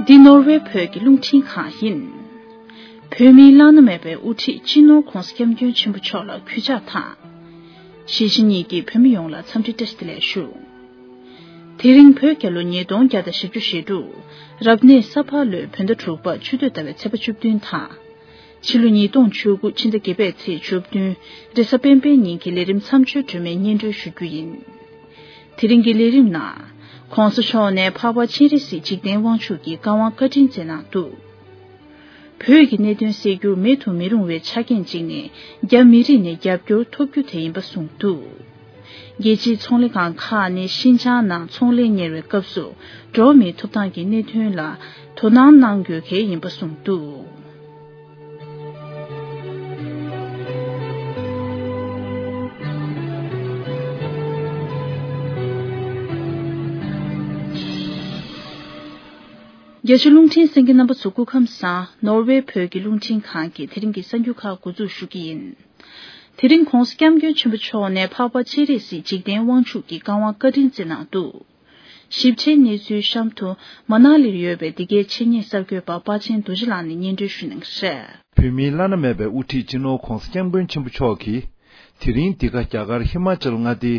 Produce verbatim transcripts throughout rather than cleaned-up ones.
འདི་ནོར་ཝེ་བོད་ཀྱི་རླུང་འཕྲིན་ཁང་ཡིན། བོད་མིའི་བླ་ན་མེད་པའི་དབུ་ཁྲིད་སྤྱི་ནོར་༧གོང་ས་༧སྐྱབས་མགོན་ཆེན་པོ་མཆོག་ལ་གུས་ཕྱག་དང་། གཞིས་བྱེས་གཉིས་ཀྱི་བོད་མི་ཡོངས་ལ་འཚམས་འདྲི་བཀྲ་ཤིས་བདེ་ལེགས་ཞུ། དེ་རིང་བོད་རྒྱལ་ལོ་ཉིས་སྟོང་བརྒྱ་དང་བཞི་བཅུ་ཞེ་དྲུག་རབ་གནས་ས་ཕག་ལོའི་བོད་ཟླ་དྲུག་པ་ཆུ་སྟོད་ཟླ་བའི་ཚེས་པ་བཅུ་བདུན་དང་། ཕྱི་ལོ་ཉིས་སྟོང་བཅུ་དགུ་ཕྱི་ཟླ་བརྒྱད་པའི་ཚེས་བཅུ་བདུན་རེས་གཟའ་སྤེན་པའི་ཉིན་གྱི་ལས་རིམ་མཚམས་གཅོད་སྒྲོལ་མའི་སྙན་སྒྲོན་ཞུ་རྒྱུ་ཡིན། དེ་རིང་གི་ལས་རིམ་ནང་། ྋགོང་ས་མཆོག་ནས་འཕགས་པ་སྤྱན་རས་གཟིགས་འཇིག་རྟེན་དབང་ཕྱུག་གི་བཀའ་དབང་བཀའ་དྲིན་བསྩལ་གནང་འདུག་བོད་ཀྱི་གནད་དོན་སེལ་རྒྱུར་མེད་དུ་མི་རུང་བའི་ཆ་རྐྱེན་གཅིག་ནི་རྒྱ་མི་རིགས་ནས་རྒྱབ་སྐྱོར་ཐོབ་རྒྱུ་དེ་ཡིན་པ་གསུངས་འདུག་རྒྱལ་སྤྱིའི་ཚོང་ལས་ཁང་ཁག་ནས་ཤིན་ཅང་ནང་ཚོང་ལས་གཉེར་བའི་སྐབས་སུ་འགྲོ་བ་མིའི་ཐོབ་ཐང་གི་གནད་དོན་ལ་དོ་སྣང་གནང་དགོས་གལ་ཡིན་པ་གསུངས་འདུག་རྒྱ་ཆེ་རླུང་འཕྲིན་གསན་མཁན་རྣམ་པ་ཚོ་སྐུ་ཁམས་བཟང་། ནོར་ཝེ་བོད་ཀྱི་རླུང་འཕྲིན་ཁང་གི་དེ་རིང་གི་གསར་འགྱུར་ཁག་འགོ་འཛུགས་ཞུ་གི་ཡིན། དེ་རིང་ྋགོང་ས་ྋསྐྱབས་མགོན་ཆེན་པོ་མཆོག་ནས་འཕགས་པ་སྤྱན་རས་གཟིགས་འཇིག་རྟེན་དབང་ཕྱུག་གི་བཀའ་དབང་བཀའ་དྲིན་བསྩལ་གནང་འདུག་ཞིབ་ཕྲའི་གནས་ཚུལ་གཤམ་དུ་མ་ན་ལིར་ཡོད་པའི་འདི་གའི་ཆེད་གཉེར་གསར་འགོད་པ་དཔའ་ཆེན་རྡོ་རྗེ་ལགས་ནས་སྙན་སྒྲོན་ཞུ་གནང་གི་རེད། བོད་མིའི་བླ་ན་མེད་པའི་དབུ་ཁྲིད་སྤྱི་ནོར་ྋགོང་ས་ྋསྐྱབས་མགོན་ཆེན་པོ་མཆོག་གིས། དེ་རིང་འདི་ག་རྒྱ་གར་ཧི་མ་ཅལ་མངའ་སྡེའི་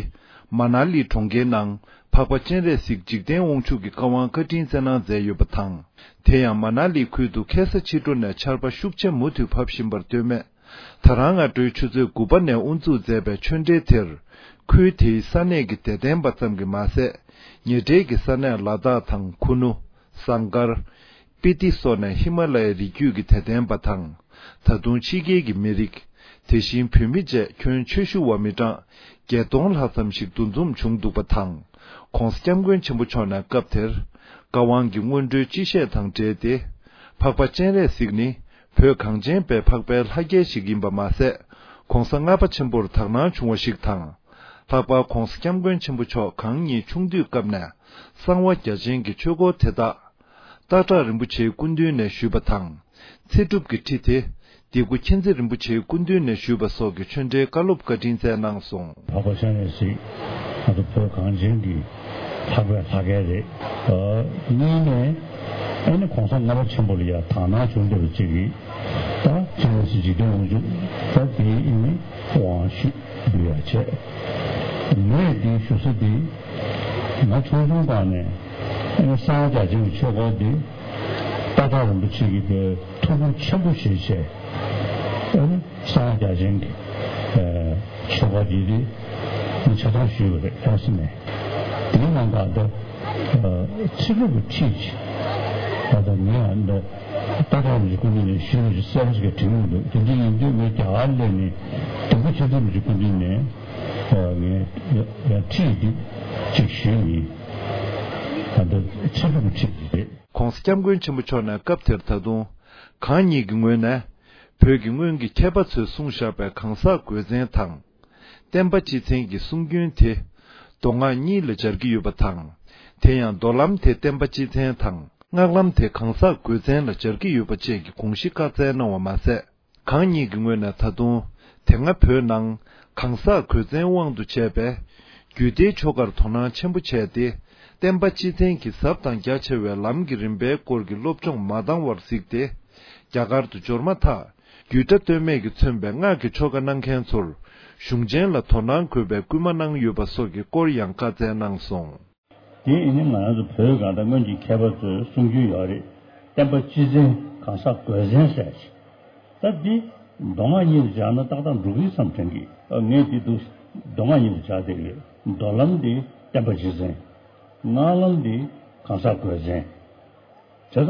མ་ན་ལི་གྲོང་ཁྱེར་ནང་འཕགས་པ་སྤྱན་རས་གཟིགས་འཇིག་རྟེན་དབང་ཕྱུག་གི་བཀའ་དབང་བཀའ་དྲིན་བསྩལ་གནང་མཛད་ཡོད་པ་དང་། དེ་ཡང་མ་ན་ལི་ཁུལ་དུ་ཁ་སང་ཕྱི་དྲོ་ནས་ཆར་པ་ཤུགས་ཆེ་མུ་མཐུད་བབས་བཞིན་པར་ལྟོས་མེད། ད་རང་སྔ་དྲོའི་ཆུ་ཚོད་དགུ་པ་ནས་དབུ་འཛུགས་མཛད་པའི་ཆོས་འབྲེལ་དེར། ཁུལ་དེའི་ས་གནས་ཀྱི་དད་ལྡན་པ་ཙམ་གྱིས་མ་ཟད། ཉེ་འབྲེལ་གྱི་ས་གནས་ལ་དྭགས་དང་ཁུ་ནུ། ཟངས་དཀར། སྤི་ཏི་སོགས་ནས་ཧི་མ་ལ་ཡའི་རི་རྒྱུད་ཀྱི་དད་ལྡན་པ་དང་། ད་དུང་ཕྱི་རྒྱལ་གྱི་མི་རིགས། དེ་བཞིན་བོད་མི་བཅས་ཁྱོན་ཆེ་ཤོས་བ་མི་གྲངས་བརྒྱད་སྟོང་ལྷག་ཙམ་ཞིག་འདུ་འཛོམས་བྱུང་འདུག་པ་དང་། ྋགོང་ས་ྋསྐྱབས་མགོན་ཆེན་པོ་མཆོག་ནས་སྐབས་དེར། བཀའ་དབང་གི་སྔོན་འགྲོའི་སྤྱི་བཤད་དང་འབྲེལ་ཏེ། འཕགས་པ་སྤྱན་རས་གཟིགས་ནི། བོད་གངས་ཅན་པའི་འཕགས་པའི་ལྷ་རྒྱལ་ཞིག་ཡིན་པ་མ་ཟད། ྋགོང་ས་ལྔ་པ་ཆེན་པོར་དག་སྣང་བྱུང་བ་ཞིག་དང་། ལྷག་པར་ྋགོང་ས་ྋསྐྱབས་མགོན་ཆེན་པོ་མཆོག་གང་ཉིད་ཆུང་དུས་སྐབས་ནས་གསང་བ་རྒྱ་ཆེན་གྱི་ཆོས་སྐོར་དེ་དག་སྟག་བྲག་རིན་པོ་ཆེའི་སྐུ་མདུན་ནས་ཞུས་པ་དང་། ཚེ་སྒྲུབ་ཀྱི་ཁྲིད་དེ་སྡེ་དགུ་མཁྱེན་བརྩེ་རིན་པོ་ཆེའི་སྐུ་མདུན་ནས་ཞུས་པ་སོགས་ཀྱི་ཆོས་འབྲེལ་བཀའ་སློབ་བཀའ་དྲིན་བསྩལ་གནང་སོང་། འཕགས་པ་སྤྱན་རས་གཟིགས་ང་ཚོ་བོད་གངས་ཅན་གྱི་འཕགས་པའི་ལྷ་སྐལ་རེད། གཉིས་ནས་ཨ་ནི་ྋགོང་ས་ལྔ་པ་ཆེན་པོ་ལ་ཡང་དག་སྣང་བྱུང་བསྡད་པ་ཅིག་གིས་ད་སྤྱན་རས་གཟིགས་འཇིག་རྟེན་དབང་ཕྱུག་ད་དེའི་ཨ་ནི་དབང་ཞུས་འབུལ་ཡ་བྱས། ངས་འདི་ཞུ་ས་འདི་ང་ཆུང་ཆུང་སྒང་ནས་ཨ་ནི་གསང་བ་རྒྱ་ཆེན་གྱི་ཆོས་སྐོར་འདི་སྟག་བྲག་རིན་པོ་ཆེ་གི་པའི་ཐུགས་ཁུར་ཆེན་པོ་བཞེས་བྱས་ཨ་ནི་གསང་བ་རྒྱ་ཆེན་གྱི་ཨ་ཆོས་སྐོར་འདི་འདི་ང་ཆ་ཚང་ཞུས་པ་རེད། ལྷ་ས་ནས་དེའི་ནང་ད་ལྟ་ཨ་ཚེ་སྒྲུབ་ཀྱི་ཁྲིད་ད་ལྟ་ངས་ཨ་ནི་སྟག་བྲག་རིན་པོ་ཆེ་སྐུ་མདུན་ནས་ཞུས་པ་ཞིག་གསལ་པོ་ཞིག་དྲན་གྱི་འདུག་དེ་འདྲ་ཡིན་དུས་ངས་རྒྱ་གར་སླེབས་ནས་སྡེ་དགུ་མཁྱེན་བརྩེ་རིན་པོ་ཆེ་སྐུ་མདུན་ནས་ཨ་ངས་ཡ་ཡ་ཁྲིད་འདི་ཅིག་ཞུས་ཡིན། ད་ལྟ་ཚེ་སྒྲུབ་ཀྱི་ཁྲིད་འདི་རེད། ྋགོང་ས་ྋསྐྱབས་མགོན་ཆེན་པོ་མཆོག་ནས་སྐབས་དེར་ད་དུང་གང་ཉིད་ཀྱི་ངོས་ནས་བོད་ཀྱི་སྔོན་གྱི་མཁས་པ་ཚོས་གསུངས་བཞག་པའི་གང་ཟག་དགོས་མཚན་དང་། བསྟན་པ་སྤྱི་མཚན་གྱི་གསུང་རྒྱུན་དེ་མདོ་སྔགས་གཉིས་ལ་སྦྱར་གྱི་ཡོད་པ་དང་། དེ་ཡང་མདོ་ལམ་དེ་བསྟན་པ་སྤྱི་མཚན་དང་སྔགས་ལམ་དེ་གང་ཟག་དགོས་མཚན་ལ་སྦྱར་གྱི་ཡོད་པ་བཅས་ཀྱི་དགོངས་གཞི་བཀའ་སྩལ་གནང་བ་མ་ཟད། གང་ཉིད་ཀྱི་ངོས་ནས་ད་དུང་དེ་སྔ་བོད་ནང་གང་ཟག་དགོས་མཚན་དབང་དུ་བྱས་པའི་རྒྱུད་སྡེའི་ཆོ་གར་དོ་སྣང་ཆེན་པོ་བྱས་ཏེ། བསྟན་པ་སྤྱི་མཚན་གྱི་ཟབ་དང་རྒྱ་ཆེ་བའི་ལམ་གྱི་རིམ་པའི་སྐོར་གྱི་སློབ་སྦྱོང་མ་འདང་བར་གཟིགས་ཏེ། རྒྱ་གར་དུ་འབྱོར་མ་ཐག་རྒྱུད་གྲྭ་སྟོད་སྨད་ཀྱིས་མཚོན་པའི་སྔགས་ཀྱི་ཆོ་ག་གནང་མཁན་ཚོར་གཞུང་ཆེན་ལ་དོ་སྣང་དགོས་པའི་སྐུལ་མ་གནང་ཡོད་པ་སོགས་ཀྱི་སྐོར་ཡང་བཀའ་སྩལ་གནང་སོང་། དེ་ཡིན་ན་ང་རང་ཚོ་བོད་གང་ལྟར་སྔོན་གྱི་མཁས་པ་ཚོའི་གསུང་རྒྱུན་ཡོད་རེད། བསྟན་པ་སྤྱི་མཚན་གང་ཟག་དགོས་མཚན་ཟེར་ཞིག་ད་འདི་མདོ་སྔགས་གཉིས་ལ་སྦྱར་ན་ཏག་ཏག་འགྲོ་གི་བསམ་དྲན་གི་ཨ་ངས་འདི་འདུག་མདོ་སྔགས་གཉིས་ལ་སྦྱར་བསྡད་ཡོད། མདོ་ལམ་འདི་བསྟན་པ་སྤྱི་མཚན། སྔགས་ལམ་འདི་གང་ཟག་དགོས་མཚན། བྱས་ཙང་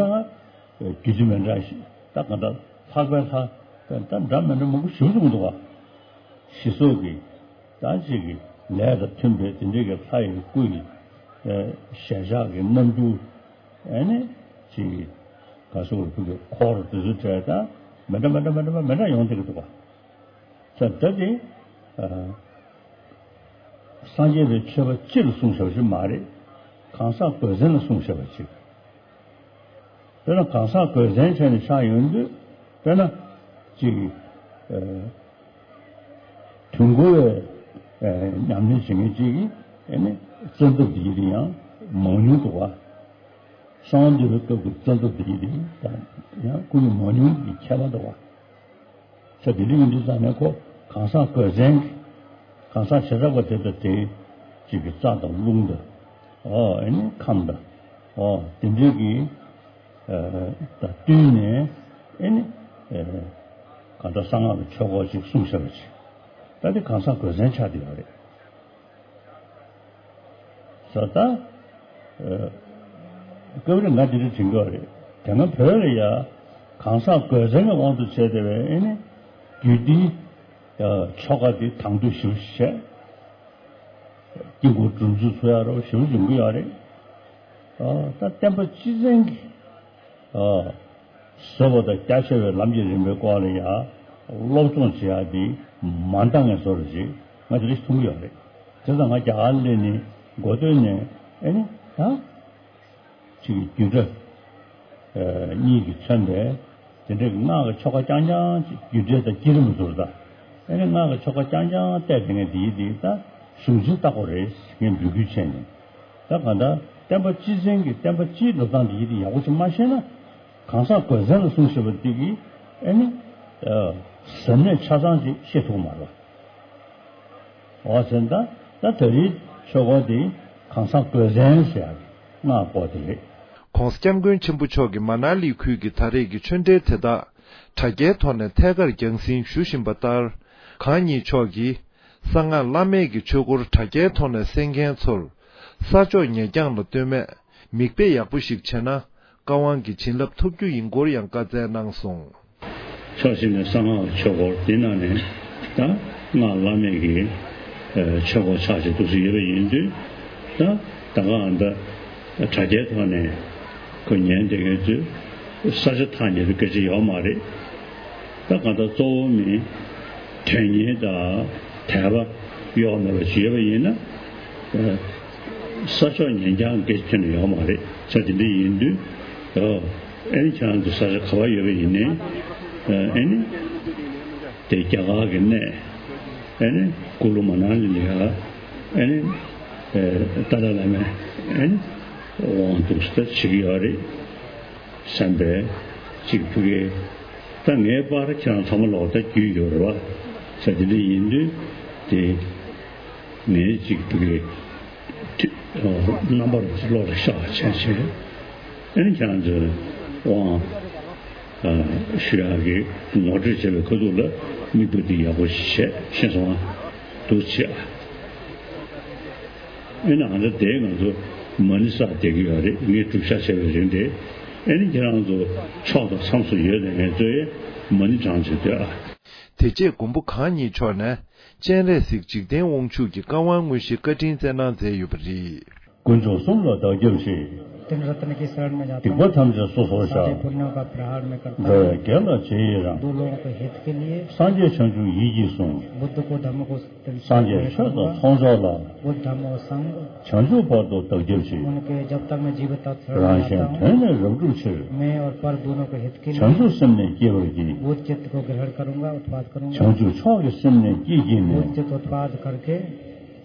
རྒྱུད་སྡེ་མི་འདྲ་ཞིག་ད་གང་ལྟར་ལྷག་པའི་ལྷ་ད་འདྲ་མི་འདྲ་མང་པོ་ཞིག་གསུངས་འདུག་ག་ཞི་སོགས་ཀྱི་ད་ཅིག་གི་ལས་དང་མཐུན་པའི་དེ་འདྲའི་གི་ལྷ་ཡི་སྐུ་ཡི་ཞལ་ཆགས་ཀྱི་རྣམ་འགྱུར་ཨ་ནི་ཅིག་གི་ག་སོགས་ཀྱི་ཁུ་གི་འཁོར་དེ་ཚོ་བྲལ་ད་མི་འདྲ་མི་འདྲ་མི་འདྲ་མི་འདྲ་ཡོང་བསྡད་ཀྱི་འདུག་ག་ད་ད་དེ་སངས་རྒྱས་པའི་ཆོས་པ་སྤྱི་ལ་གསུངས་བཞག་པ་ཞིག་མ་རེད། གང་ཟག་དགོས་མཚན་ལ་གསུངས་བཞག་པ་ཅིག་དཔེར་ན་གང་ཟག་དགོས་མཚན་བྱས་ནས་ཆགས་ཡོང་དུས་དཔེར་ན་ཅིག་དུས་འཁོར་བའི་ཉམས་ལེན་བྱེད་མཁན་ཅིག་གིས་ཨ་ནི་བཙན་ཐབས་འདི་ཡིན་ཡང་མང་ཉུང་འདུག་བ། གསང་བ་འདུས་པའི་སྐབས་ཀྱི་རྩ་འདབ་དེ་ཉིད་དེ་ཡང་སྐུ་ཡི་མང་ཉུང་གི་ཁྱད་པར་འདུག་བ། ས་དེ་འདྲ་ཡིན་དུས་ཙང་ནས་ཁོ་གང་ཟག་དགོས་མཚན་གྱི་གང་ཟག་བྱེ་བྲག་པ་དེ་དང་དེ་གཅིག་གི་རྩྭ་དང་རླུང་དང་ཨོ་ཨེ་ནི་ཁམས་དང་ཨོ་དེ་འདྲའི་གི་ཨ་དང་བསྟུན་ནས་ཨེ་ནི་ཨ་གང་ལྟར་གསང་སྔགས་ཀྱི་ཆོས་སྐོར་ཅིག་གསུངས་བཞག་པ་ཅིག་ད་དེ་གང་ཟག་དགོས་མཚན་ཆགས་བསྡད་ཡོད་རེད། ས་ད། ཨ་སྐབས་རེ་ང་འདི་འདྲ་དྲན་གྱི་ཡོད་རེད། དེ་སྔ་བོད་ལ་ཡ་གང་ཟག་དགོས་མཚན་གྱི་དབང་དུ་བྱས་ཏེ་བས་ཨེ་ནི་རྒྱུད་སྡེའི་ཨ་ཆོ་ག་འདི་དང་དུ་ཞུ་བྱས། དཀྱིལ་འཁོར་སྒྲུབ་ཚུལ་ཚོ་ཡ་རོ་ཞུ་ཡོང་གི་ཡོད་རེད། ཨ་ད་བསྟན་པ་སྤྱི་བཙན་གྱི་ཨ་བཟོད་པ་དང་རྒྱ་ཆེ་བའི་ལམ་གྱི་རིམ་པའི་སྐོར་ལ་ཡ་སློབ་སྦྱོང་བྱེད་ཡ་འདི་མ་འདང་ངེས་བཟོ་འདྲ་ཅིག་ང་དེ་རིགས་མཐོང་གི་ཡོད་རེད། དེ་ཙང་ང་རྒྱ་གར་སླེབས་ནས་འགོ་སྟོད་ནས་ཨེ་ནི་ད་ཅིག་གི་རྒྱུད་གྲྭ་གཉིས་ཀྱིས་མཚོན་པའི་དེ་འདྲའི་སྔགས་ཀྱི་ཆོ་ག་རྐྱང་རྐྱང་ཅིག་རྒྱུད་གྲྭ་དང་བསྐྱེད་རིམ་ཟུར་དང་ཨེ་ནི་སྔགས་ཀྱི་ཆོ་ག་རྐྱང་རྐྱང་བལྟས་དེ་ངས་དེ་ཡི་དེ་ད་གཞུང་ཆེན་ལྟ་བུ་རེད་ངས་འབོད་སྐུལ་བྱས་ནས། ད་གང་ལྟར་བསྟན་པ་སྤྱི་བཙན་གྱི་བསྟན་པ་སྤྱིའི་འགྲོ་སྟངས་དེ་ཡི་དེ་ཡག་པོ་ཅིག་མ་ཤེས་ན། གང་ཟག་དགོས་མཚན་ལ་གསུངས་ཞེས་པ་འདི་གིས་ཨེ་ནི་ཟབ་གནད་ཆ་ཚང་ཅིག་ཤེས་ཐུབ་མ་རེད། འོ་ཟེར་ན་ད་ད་རེས་ཆོས་སྐོར་འདི་གང་ཟག་དགོས་མཚན་ཟེར་ཡག་གི་སྔགས་སྐོར་དེ་རེད། ༸གོང་ས་༸སྐྱབས་མགོན་ཆེན་པོ་མཆོག་གིས་མ་ན་ལི་ཁུལ་གྱི་ད་རེས་ཀྱི་ཆོས་འབྲེལ་དེ་དག་དྲ་རྒྱའི་ཐོག་ནས་ཐད་ཀར་རྒྱང་སྲིང་ཞུ་བཞིན་པ་ལྟར། གང་ཉིད་མཆོག་གིས། གསང་སྔགས་བླ་མེད་ཀྱི་ཆོས་སྐོར་དྲ་རྒྱའི་ཐོག་ནས་གསན་མཁན་ཚོར། ས་ཕྱོགས་ཉེ་འགྱངས་ལ་ལྟོས་མེད་མིག་དཔེ་ཡག་པོ་ཞིག་བྱས་ན་བཀའ་དབང་གི་བྱིན་རླབས་ཐོབ་རྒྱུ་ཡིན་སྐོར་ཡང་བཀའ་སྩལ་གནང་སོང་། ཕྱོགས་གཅིག་ནས་གསང་སྔགས་ཆོས་སྐོར་དེ་ནང་ནས་ད་སྔགས་བླ་མེད་ཀྱི་ཆོས་སྐོར་ཆགས་ཅིག་འདུག་སེ་ཡོད་པ་ཡིན་དུས་ད་ད་ག་ཨ་ད་དྲ་རྒྱའི་ཐོག་ནས་ཁོ་ཉན་བསྡད་མཁན་ཚོས་ས་ཆ་ཐག་ཉེ་པའི་སྐད་ཆ་ཡོད་མ་རེད། ད་གང་ལྟར་གཙོ་བོ་མིན་དོན་གཉེར་དང་དད་པ་གཡོ་བ་མེད་པ་ཞིག་ཡོད་པ་ཡིན་ན། ས་ཕྱོགས་ཉེ་འགྱངས་སྐད་ཆ་ཁྱོན་ནས་ཡོད་མ་རེད། ས་དེ་འདྲ་ཡིན་དུས། ཨ་ནི་ཁྱེད་རང་ཚོ་ས་ཆ་ག་པར་ཡོད་པ་ཡིན་ནའི། ཨ་ནི་དེ་རྒྱ་གར་གྱི་གནས། ཨ་ནི་ཀུ་ལུ་མ་ན་ལི་ལ་ཡ། ཨ་ནི་ཏཱ་ལའི་བླ་མའི་ཨ་ནི་དབང་འདུག་སེ་བྱེད་ཀྱི་ཡོད་རེད། བསམ་པའི་གཅིག་ཕ་གི། ད་ངའི་པར་ཁྱེད་རང་ཚང་མ་ལོག་ལྟ་རྒྱུས་ཡོད་རེད་བ། ས་དེ་འདྲ་ཡིན་དུས་དེ་ངའི་གཅིག་ཕ་གི་རྣམ་པར་བློ་ལ་ཤར་བ་བྱས་བྱས། ཨ་ནི་ཁྱེད་རང་ཚོའི་དབང་ཞུ་ཡག་གི་ངོ་སྤྲོད་བྱས་པའི་ཁ་ཐུག་ལ་མིག་དཔེ་དེ་ཡག་པོ་ཞིག་བྱས་ཤེས་སོང་ང་། འདུག་བྱས། ཨེ་ན་ང་ཚོ་དེ་ང་ཚོ་མ་ཎི་བསགས་བསྡད་ཀྱི་ཡོད་རེད། ངས་བསྒྲུབ་བྱ་བྱས་པའི་རིང་དེ། ཨེ་ནི་ཁྱེད་རང་ཚོ་ཕྱོགས་དང་མཚམས་སུ་ཡོད་ནས་ངས་ཚོའི་མ་ཎི་བགྲང་བྱས་སྡོད་ཨ། དེ་རྗེས་མགོན་པོ་གང་ཉིད་མཆོག་ནས་སྤྱན་རས་གཟིགས་འཇིག་རྟེན་དབང་ཕྱུག་གི་བཀའ་དབང་དངོས་གཞི་བཀའ་དྲིན་བསྩལ་གནང་མཛད་ཡོད་པ་རེད། དཀོན་མཆོག་གསུམ་ལ་བདག་སྐྱབས་མཆི། तीन रत्न की शरण में जाता हूँ। སྡིག་པ་ཐམས་ཅད་སོ་སོར་བཤགས། सारे पुण्यों का प्रहार मैं करता हूँ। འགྲོ་བའི་དོན་ལ་རྗེས་ཡི་རང་། दो लोगों के हित के लिए। སངས་རྒྱས་བྱང་ཆུབ་ཡིད་ཀྱིས་བཟུང་། बुद्ध को धम्म को संग में रखूंगा। སངས་རྒྱས་ཆོས་དང་ཚོགས་མཆོག་ལ། बुद्ध धम्म और संग། བྱང་ཆུབ་བར་དུ་བདག་སྐྱབས་མཆི། उनके जब तक मैं जीवित था रंग में जाता हूँ। རང་གཞན་དོན་ནི་རབ་བསྒྲུབ་ཕྱིར། मैं और पर दोनों के हित के लिए། བྱང་ཆུབ་སེམས་ནི་བསྐྱེད་པར་བགྱི། बुद्ध चित्त को ग्रहण करूंगा, उत्पाद करूंगा। བྱང་ཆུབ་མཆོག་གི་སེམས་ནི་བསྐྱེད་བགྱིས་ནས། बुद्ध चित्त उत्पाद करके།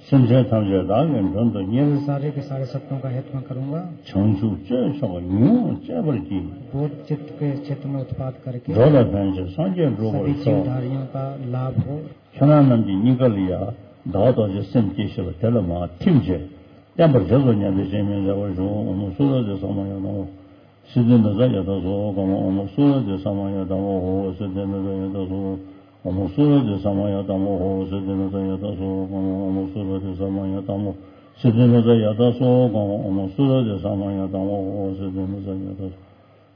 སེམས་ཅན་ཐམས་ཅད་བདག་གི་མགྲོན་དུ་གཉེར། सारे के सारे सत्त्वों का हित मैं करूंगा। བྱང་ཆུབ་སྤྱོད་མཆོག་ཡོངས་སྤྱད་པར་བགྱི། बोध चित्त के क्षेत्र में उत्पाद करके། འགྲོ་ལ་ཕན་ཕྱིར་སངས་རྒྱས་འགྲུབ་པར་ཤོག། जीवधारियों का लाभ हो। ཁྱེད་རང་རྣམས་ཀྱི་སྙིང་ག་ལ་ཡ་བདག་རྡོ་རྗེ་སེམས་བསྐྱེད་ཞེས་པ་དེ་ལ་མར་ཐིམ་བྱས། བརྟན་པར་རྗེས་སུ་ཉམས་པའི་སྤྱན་མིག་མཛད་པར་ཞུ། ཨོཾ་སུ་ར་དྷི་ས་མ་ཡ་དྷ་མ། སིདྡྷི་མི་ཛ་ཡ་དྷ་སོ་ཧོ་ཀ་མ། ཨོཾ་སུ་ར་དྷི་ས་མ་ཡ་དྷ་མ་ཧོ། སིདྡྷི་མི་ཛ་ཡ་དྷ་སོ། ཨོཾ་སུ་ར་དྷི་ས་མ་ཡ་དྷ་མ་ཧོ། སིདྡྷི་མི་ཛ་ཡ་དྷ་སོ་ཧོ་ཀ་མ། ཨོཾ་སུ་ར་དྷི་ས་མ་ཡ་དྷ་མ། སིདྡྷི་མི་ཛ་ཡ་དྷ་སོ་ཧོ་ཀ་མ། ཨོཾ་སུ་ར་དྷི་ས་མ་ཡ་དྷ་མ་ཧོ། སིདྡྷི་མི་ཛ་ཡ་དྷ་སོ།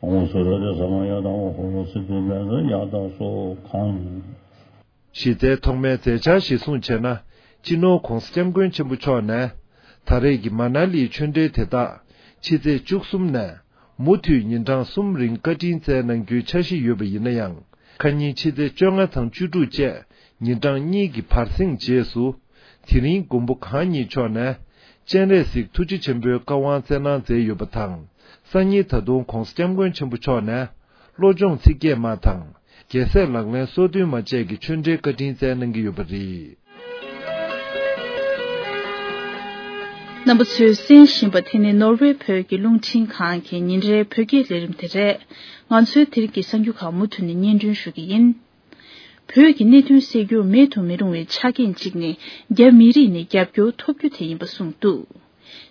ཨོཾ་སུ་ར་དྷི་ས་མ་ཡ་དྷ་མ་ཧོ། སིདྡྷི་མི་ཛ་ཡ་དྷ་སོ་ཧོ་ཀ་མ། གཞི་རྩའི་ཐོག་མའི་མཛད་འཆར་གཞིར་བཟུང་བྱས་ན། སྤྱི་ནོར་༸གོང་ས་༸སྐྱབས་མགོན་ཆེན་པོ་མཆོག་ནས། ད་རེས་ཀྱི་མ་ན་ལིའི་ཆོས་འབྲེལ་དེ་དག་ཕྱི་ཚེས་བཅུ་གསུམ་ནས་མུ་མཐུད་ཉིན་གྲངས་གསུམ་རིང་བཀའ་དྲིན་བསྩལ་གནང་རྒྱུའི་འཆར་གཞི་ཡོད་པ་ཡིན་ན་ཡང་། ཁ་ཉིན་ཕྱི་ཚེས་བཅོ་ལྔ་དང་བཅུ་དྲུག་བཅས་ཉིན་གྲངས་གཉིས་ཀྱི་བར་གསེང་རྗེས་སུ། དེ་རིང་མགོན་པོ་གང་ཉིད་མཆོག་ནས། སྤྱན་རས་གཟིགས་ཐུགས་རྗེ་ཆེན་པོའི་བཀའ་དབང་བསྩལ་གནང་མཛད་ཡོད་པ་དང་། སང་ཉིན་ད་དུང་༸གོང་ས་༸སྐྱབས་མགོན་ཆེན་པོ་མཆོག་ནས། བློ་སྦྱོང་ཚིག་བརྒྱད་མ་དང་། རྒྱལ་སྲས་ལག་ལེན་སོ་བདུན་མ་བཅས་ཀྱི་ཆོས་འབྲེལ་བཀའ་དྲིན་བསྩལ་གནང་གི་ཡོད་པ་རེད། རྣམ་པ་ཚོས་གསན་བཞིན་པ་དེ་ནི་ནོར་ཝེ་བོད་ཀྱི་རླུང་འཕྲིན་ཁང་གི་ཉིན་རེའི་བོད་སྐད་ལས་རིམ་དེ་རེད། ང་ཚོའི་དེ་རིང་གི་གསར་འགྱུར་ཁག་མུ་མཐུད་ནས་སྙན་སྒྲོན་ཞུ་གི་ཡིན། བོད་ཀྱི་གནད་དོན་སེལ་རྒྱུར་མེད་དུ་མི་རུང་བའི་ཆ་རྐྱེན་གཅིག་ནི་རྒྱ་མི་རིགས་ནས་རྒྱབ་སྐྱོར་ཐོབ་རྒྱུ་དེ་ཡིན་པ་གསུངས་འདུག།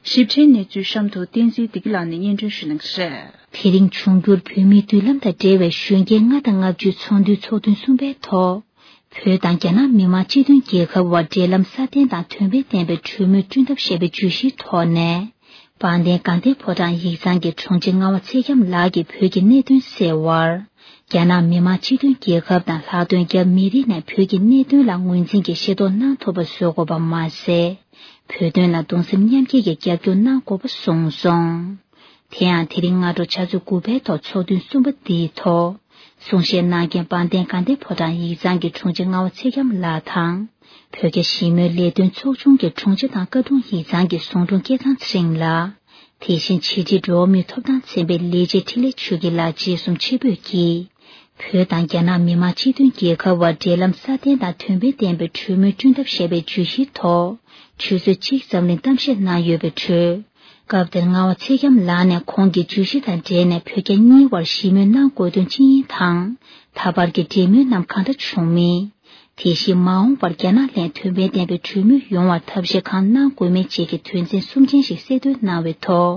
ཞིབ་ཕྲའི་གནས་ཚུལ་གཤམ་དུ་བསྟན་འཛིན་བདེ་སྐྱིད་ལགས་ནས་སྙན་སྒྲོན་ཞུ་གནང་གི་རེད། དེ་རིང་འབྱུང་འགྱུར་བོད་མིའི་མདུན་ལམ་དང་འབྲེལ་བའི་གཞོན་སྐྱེས་ལྔ་དང་ལྔ་བཅུའི་ཚོགས་འདུའི་ཚོགས་ཐུན་གསུམ་པའི་ཐོག་བོད་དང་རྒྱ་ནག་མི་དམངས་སྤྱི་མཐུན་རྒྱལ་ཁབ་དབར་འབྲེལ་ལམ་སྲ་བརྟན་དང་དོན་ཕན་ལྡན་པའི་གྲོས་མོལ་བསྐྲུན་ཐབས་ཞེས་པའི་བརྗོད་གཞིའི་ཐོག་ནས། དཔལ་ལྡན་དགའ་ལྡན་ཕོ་བྲང་ཡིག་ཚང་གི་དྲུང་ཆེ་རྔ་བ་ཚེ་རྒྱམ་ལགས་ཀྱིས་བོད་ཀྱི་གནད་དོན་སེལ་བར། རྒྱ་ནག་མི་དམངས་སྤྱི་མཐུན་རྒྱལ་ཁབ་དང་ལྷག་དོན་རྒྱ་མི་རིགས་ནས་བོད་ཀྱི་གནད་དོན་ལ་ངོས་འཛིན་གྱིས་ཤེས་རྟོགས་གནང་ཐུབ་པ་བཟོ་དགོས་པ་མ་ཟད། བོད་དོན་ལ་གདུང་སེམས་མཉམ་སྐྱེད་ཀྱི་རྒྱབ་སྐྱོར་གནང་དགོས་པ་གསུངས་སོང་། དེ་ཡང་དེ་རིང་སྔ་དྲོ་ཆུ་ཚོད་དགུ་པའི་ཐོག་ཚོགས་ཐུན་གསུམ་པ་འདིའི་ཐོག་གསུང་བཤད་གནང་མཁན་དཔལ་ལྡན་དགའ་ལྡན་ཕོ་བྲང་ཡིག་ཚང་གི་དྲུང་ཆེ་རྔ་བ་ཚེ་རྒྱམ་ལགས་དང་། བོད་རྒྱ་ཞི་མོལ་ལས་དོན་ཚོགས་ཆུང་གི་དྲུང་ཆེ་དང་བཀའ་དྲུང་ཡིག་ཚང་གི་ཟུང་དྲུང་སྐལ་བཟང་ཚེ་རིང་ལགས། དེ་བཞིན་ཕྱི་དྲིལ་འགྲོ་བ་མིའི་ཐོབ་ཐང་ཚན་པའི་ལས་བྱེད་འཕྲིན་ལས་ཆོས་སྐྱིད་ལགས་བཅས་གསུམ་ཆེད་ཕེབས་ཀྱིས། བོད་དང་རྒྱ་ནག་མི་དམངས་སྤྱི་མཐུན་རྒྱལ་ཁབ་དབར་འབྲེལ་ལམ་སྲ་བརྟན་དང་དོན་ཕན་ལྡན་པའི་གྲོས་མོལ་བསྐྲུན་ཐབས་ཞེས་པའི་བརྗོད་གཞིའི་ཐོག་ཆུ་ཚོད་གཅིག་ཙམ་རིང་གཏམ་བཤད་གནང་ཡོད་པའི་ཁྲོད། སྐབས་དེར་རྔ་བ་ཚེ་རྒྱམ་ལགས་ནས་ཁོང་གི་བརྗོད་གཞི་དང་འབྲེལ་ནས་བོད་རྒྱ་གཉིས་དབར་ཞི་མོལ་གནང་དགོས་དོན་ཅི་ཡིན་དང་། ད་བར་གྱི་འབྲེལ་མོལ་རྣམས་གང་འདྲ་བྱུང་མིན། དེ་བཞིན་མ་འོངས་པར་རྒྱ་ནག་ལྷན་དོན་ཕན་ལྡན་པའི་གྲོས་མོལ་ཡོང་བར་ཐབས་ཤེས་གང་གནང་དགོས་མིན་བཅས་ཀྱི་དོན་ཚན་གསུམ་ཅན་ཞིག་གསལ་སྟོན་གནང་བའི་ཐོག་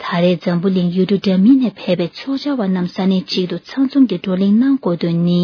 ད་རེས་འཛམ་བུ་གླིང་ཡུལ་གྲུ་འདྲ་མིན་ནས་ཕེབས་པའི་ཚོགས་བཅར་བ་རྣམས་ས་གནས་གཅིག་ཏུ་ཚང་འཛོམས་ཀྱི་བགྲོ་གླེང་གནང་དགོས་དོན་ནི།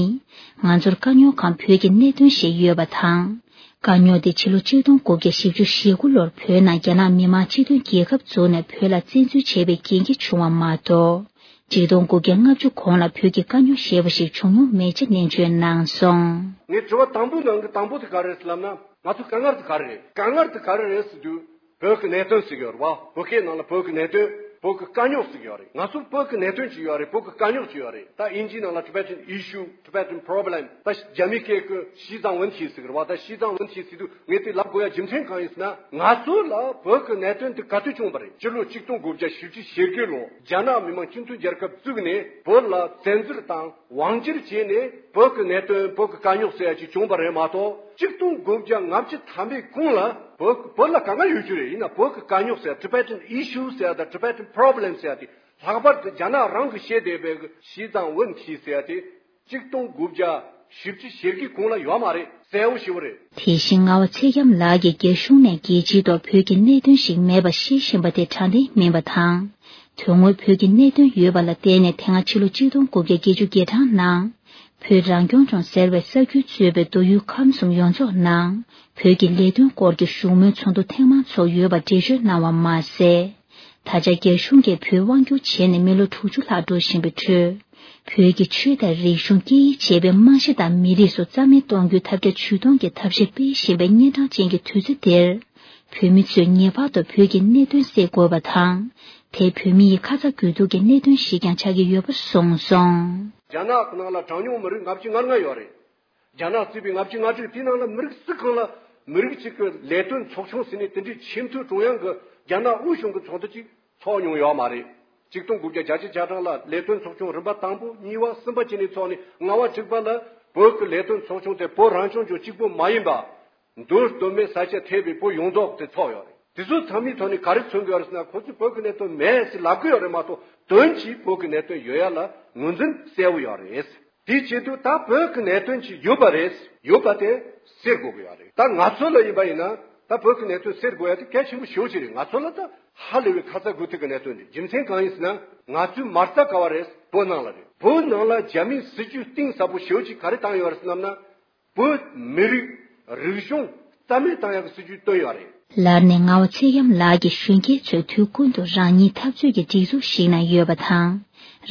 ང་ཚོར་དཀའ་རྙོག་གང་བོད་ཀྱི་གནད་དོན་ཞིག་ཡོད་པ་དང་། དཀའ་རྙོག་དེ་ཕྱི་ལོ་ཆིག་སྟོང་དགུ་བརྒྱ་བཞི་བཅུ་ཞེ་དགུ་ལོར་བོད་ནང་རྒྱ་ནག་མི་དམངས་སྤྱི་མཐུན་རྒྱལ་ཁབ་བཙུགས་ནས་བོད་ལ་བཙན་འཛུལ་བྱས་པའི་རྐྱེན་གྱིས་བྱུང་བ་མ་གཏོགས། ཆིག་སྟོང་དགུ་བརྒྱ་ལྔ་བཅུ་གོང་ལ་བོད་ཀྱི་དཀའ་རྙོག་ཞེས་པ་ཞིག་བྱུང་མྱོང་མེད་ཅེས་ནན་བརྗོད་གནང་སོང་། ངས་དྲི་བ་དང་པོའི་ནང་གི་དང་པོ་དེ་ག་རེ་རེད་ལབ་ན། ང་ཚོ་དཀའ་ངལ་དེ་ག་རེ་རེད། དཀའ་ངལ་དེ་ག་རེ་རེད་ཟེར་དུས། བོད་ཀྱི་གནད་དོན་ཟེར་གྱི་ཡོད་རེད་བ། བོད་སྐད་ནང་ལ་བོད་ཀྱི་གནད་དོན། བོད་ཀྱི་དཀའ་རྙོག་ཟེར་གྱི་ཡོད་རེད། ང་ཚོ་བོད་ཀྱི་གནད་དོན་ཅིག་ཡོད་རེད། བོད་ཀྱི་དཀའ་རྙོག་ཅིག་ཡོད་རེད། ད་དབྱིན་ཇིའི་ནང་ལ་Tibetan issue, Tibetan problem, ད་རྒྱ་མིའི་སྐད་ཀྱི་西藏问题ཟེར་གྱི་རེད་བ། ད་西藏问题ཟེར་དུས་ངས་དེ་ལབ་དགོས་ཡ་རྒྱུ་མཚན་གང་ཡིན་ཟེར་ན། ང་ཚོ་ལ་བོད་ཀྱི་གནད་དོན་དེ་ག་དུས་བྱུང་བ་རེད། སྤྱི་ལོ་ཆིག་སྟོང་དགུ་བརྒྱ་བཞི་བཅུ་ཞེ་དགུ་ལོ་རྒྱ་ནག་མི་དམངས་སྤྱི་མཐུན་རྒྱལ་ཁབ་བཙུགས་ནས་བོད་ལ་བཙན་འཛུལ་དང་། དབང་སྒྱུར་བྱས་ནས་བོད་ཀྱི་གནད་དོན། བོད་ཀྱི་དཀའ་རྙོག་ཟེར་ཡ་ཅིག་བྱུང་བ་རེད་མ་གཏོགས། ཆིག་སྟོང་དགུ་བརྒྱ་ལྔ་བཅུ་ཐམ་པའི་གོང་ལ་བོད་བོད་ལ་དཀའ་ངལ་ཡོད་རྒྱུ་རེད། ཡིན་ན་བོད་ཀྱི་དཀའ་རྙོག་ཟེར་ཡ། Tibetan issue ཟེར་ཡ་དང་། Tibetan problem ཟེར་ཡ་དེ་ལྷག་པར་དུ་རྒྱ་ནག་རང་གིས་བཤད་བསྡད་པའི་西藏问题ཟེར་ཡ་དེ་ཆིག་སྟོང་དགུ་བརྒྱ་བཞི་བཅུ་ཞེ་དགུའི་གོང་ལ་ཡོད་མ་རེད། གསལ་བོ་ཞེ་པོ་རེད། དེ་བཞིན་རྔ་བ་ཚེ་རྒྱམ་ལགས་ཀྱིས་རྒྱ་གཞུང་ནས་རྒྱལ་སྤྱིའི་ཐོག་བོད་ཀྱི་གནད་དོན་ཞིག་མེད་པ་བཤད་བཞིན་པ་དེ་དྲང་བདེན་མིན་པ་དང་། དོན་དངོས་བོད་ཀྱི་གནད་དོན་ཡོད་པ་ལ་བརྟེན་ནས་དེ་སྔ་ཕྱི་ལོ་ཆིག་སྟོང་དགུ་བརྒྱ་བརྒྱད་ཅུ་གྱ་གྲངས་ནང་། བོད་རང་སྐྱོང་ལྗོངས་ཟེར་བའི་ས་ཁུལ་གཙོས་པའི་མདོ་དབུས་ཁམས་གསུམ་ཡོངས་རྫོགས་ནང་། བོད་ཀྱི་ལས་དོན་སྐོར་གྱི་བཞུགས་མོལ་ཚོགས་འདུ་ཐེངས་མང་ཚོགས་ཡོད་པ་འགྲེལ་བརྗོད་གནང་བ་མ་ཟད། ད་ཆ་རྒྱ་གཞུང་གིས་བོད་དབང་བསྒྱུར་བྱས་ནས་མི་ལོ་དྲུག་ཅུ་ལྷག་འགྲོ་བཞིན་པའི་ཁྲོད། བོད་ཀྱི་ཆོས་དང་རིག་གཞུང་། སྐད་ཡིག་བཅས་པའི་རྨང་གཞི་དང་མི་རིགས་སོགས་རྩ་མེད་གཏོང་རྒྱུའི་ཐབས་བརྒྱ་ཇུས་སྟོང་གི་ཐབས་ཤེས་སྤེལ་བཞིན་པའི་གཉན་འཕྲང་ཅན་གྱི་དུས་ཚོད་འདིར། བོད་མི་ཚོས་ངེས་པར་དུ་བོད་ཀྱི་གནད་དོན་སེལ་དགོས་པ་དང་། དེ་བོད་མི་ཡི་ཁ་ཚ་དགོས་གཏུགས་ཀྱི་གནད་དོན་ཞིག་ཀྱང་ཆགས་ཀྱི་ཡོད་པ་གསུངས་སོང་། རྒྱ་ནག་གི་ནང་ལ་གྲངས་ཉུང་མི་རིགས་ལྔ་བཅུ་ང་ལྔ་ཡོད་རེད། རྒྱ་ནག་གཙོས་པའི་ལྔ་བཅུ་ང་དྲུག་དེའི་ནང་ལ་མི་རིགས་སུ་གང་ལ་མི་རིགས་གཅིག་གི་ལས་དོན་ཚོགས་ཆུང་ཟེར་ནས་དེ་འདྲའི་ཆེས་མཐོའི་ཀྲུང་དབྱང་གི་རྒྱ་ནག་དབུས་གཞུང་གི་ཚོགས་འདུ་གཅིག་ཚོགས་མྱོང་ཡོད་མ་རེད། ཆིག་སྟོང་དགུ་བརྒྱ་བརྒྱད་ཅུ་གྱ་གྲངས་ལ་ལས་དོན་ཚོགས་ཆུང་རིམ་པ་དང་པོ་གཉིས་པ་གསུམ་པ་བཅས་ནས་ཚོགས་ནས་ལྔ་པ་དྲུག་པ་ལ་བོད་ཀྱི་ལས་དོན་ཚོགས་ཆུང་དེ་བོད་རང་སྐྱོང་ལྗོངས་གཅིག་པུ་མ་ཡིན་པ། མདོ་སྟོད་སྨད་ས་ཆ་ཐེ་བའི་བོད་ཡོངས་རྫོགས་དེ་ཚོགས་ཡོད་རེད། དེ་ཚོ་ཚང་མའི་ཐོག་ནས་ག་རེ་མཚོན་གྱི་ཡོད་རེད་ཟེར་ན། ཁོ་ཚོས་བོད་ཀྱི་གནད་དོན་མེད་ཟེར་ལབ་གི་ཡོད་རེད་མ་གཏོགས། དོན་གྱིས་བོད་ཀྱི་གནད་དོན་ཡོད་ཡ་ལ་ངོས་འཛིན་གསལ་བོ་ཡོད་རེད། དེའི་ཆེད་དུ་ད་བོད་ཀྱི་གནད་དོན་ཅིག་ཡོད་པ་རེད། ཡོད་པ་དེ་སེལ་དགོས་ཀྱི་ཡོད་རེད། ད་ང་ཚོ་ལ་ཡིན་པ་ཡིན་ན་ད་བོད་ཀྱི་གནད་དོན་སེལ་དགོས་ཡ་དེ་གལ་ཆེན་པོ་ཞེ་པོ་ཅིག་རེད། ང་ཚོ་ལ་ད་ཧ་ལས་པའི་ཁ་ཚ་དགོས་གཏུགས་ཀྱི་གནད་དོན་རེད། རྒྱུ་མཚན་གང་ཡིན་ཟེར་ན། ང་ཚོའི་མ་རྩ་ག་བ་རེད། བོད་ནང་ལ་རེད། བོད་ནང་ལ་རྒྱ་མིའི་སྲིད་ཇུས་གཏིང་ཟབ་པོ་ཞེ་པོ་ཅིག་ག་རེ་བཏང་ཡོད་རེད་ཟེར་ལབ་ན། བོད་མི་རིགས་རིག་གཞུང་རྩ་མེད་བཏང་ཡག་གི་སྲིད་ཇུས་བཏོན་ཡོད་རེད། ལར་ནས་རྔ་བ་ཚེ་རྒྱམ་ལགས་ཀྱིས་གཞོན་སྐྱེས་ཚོས་དུས་ཀུན་ཏུ་རང་ཉིད་འཐབ་རྩོད་ཀྱི་སྒྲིག་འཛུགས་ཤིག་ནང་ཡོད་པ་དང་།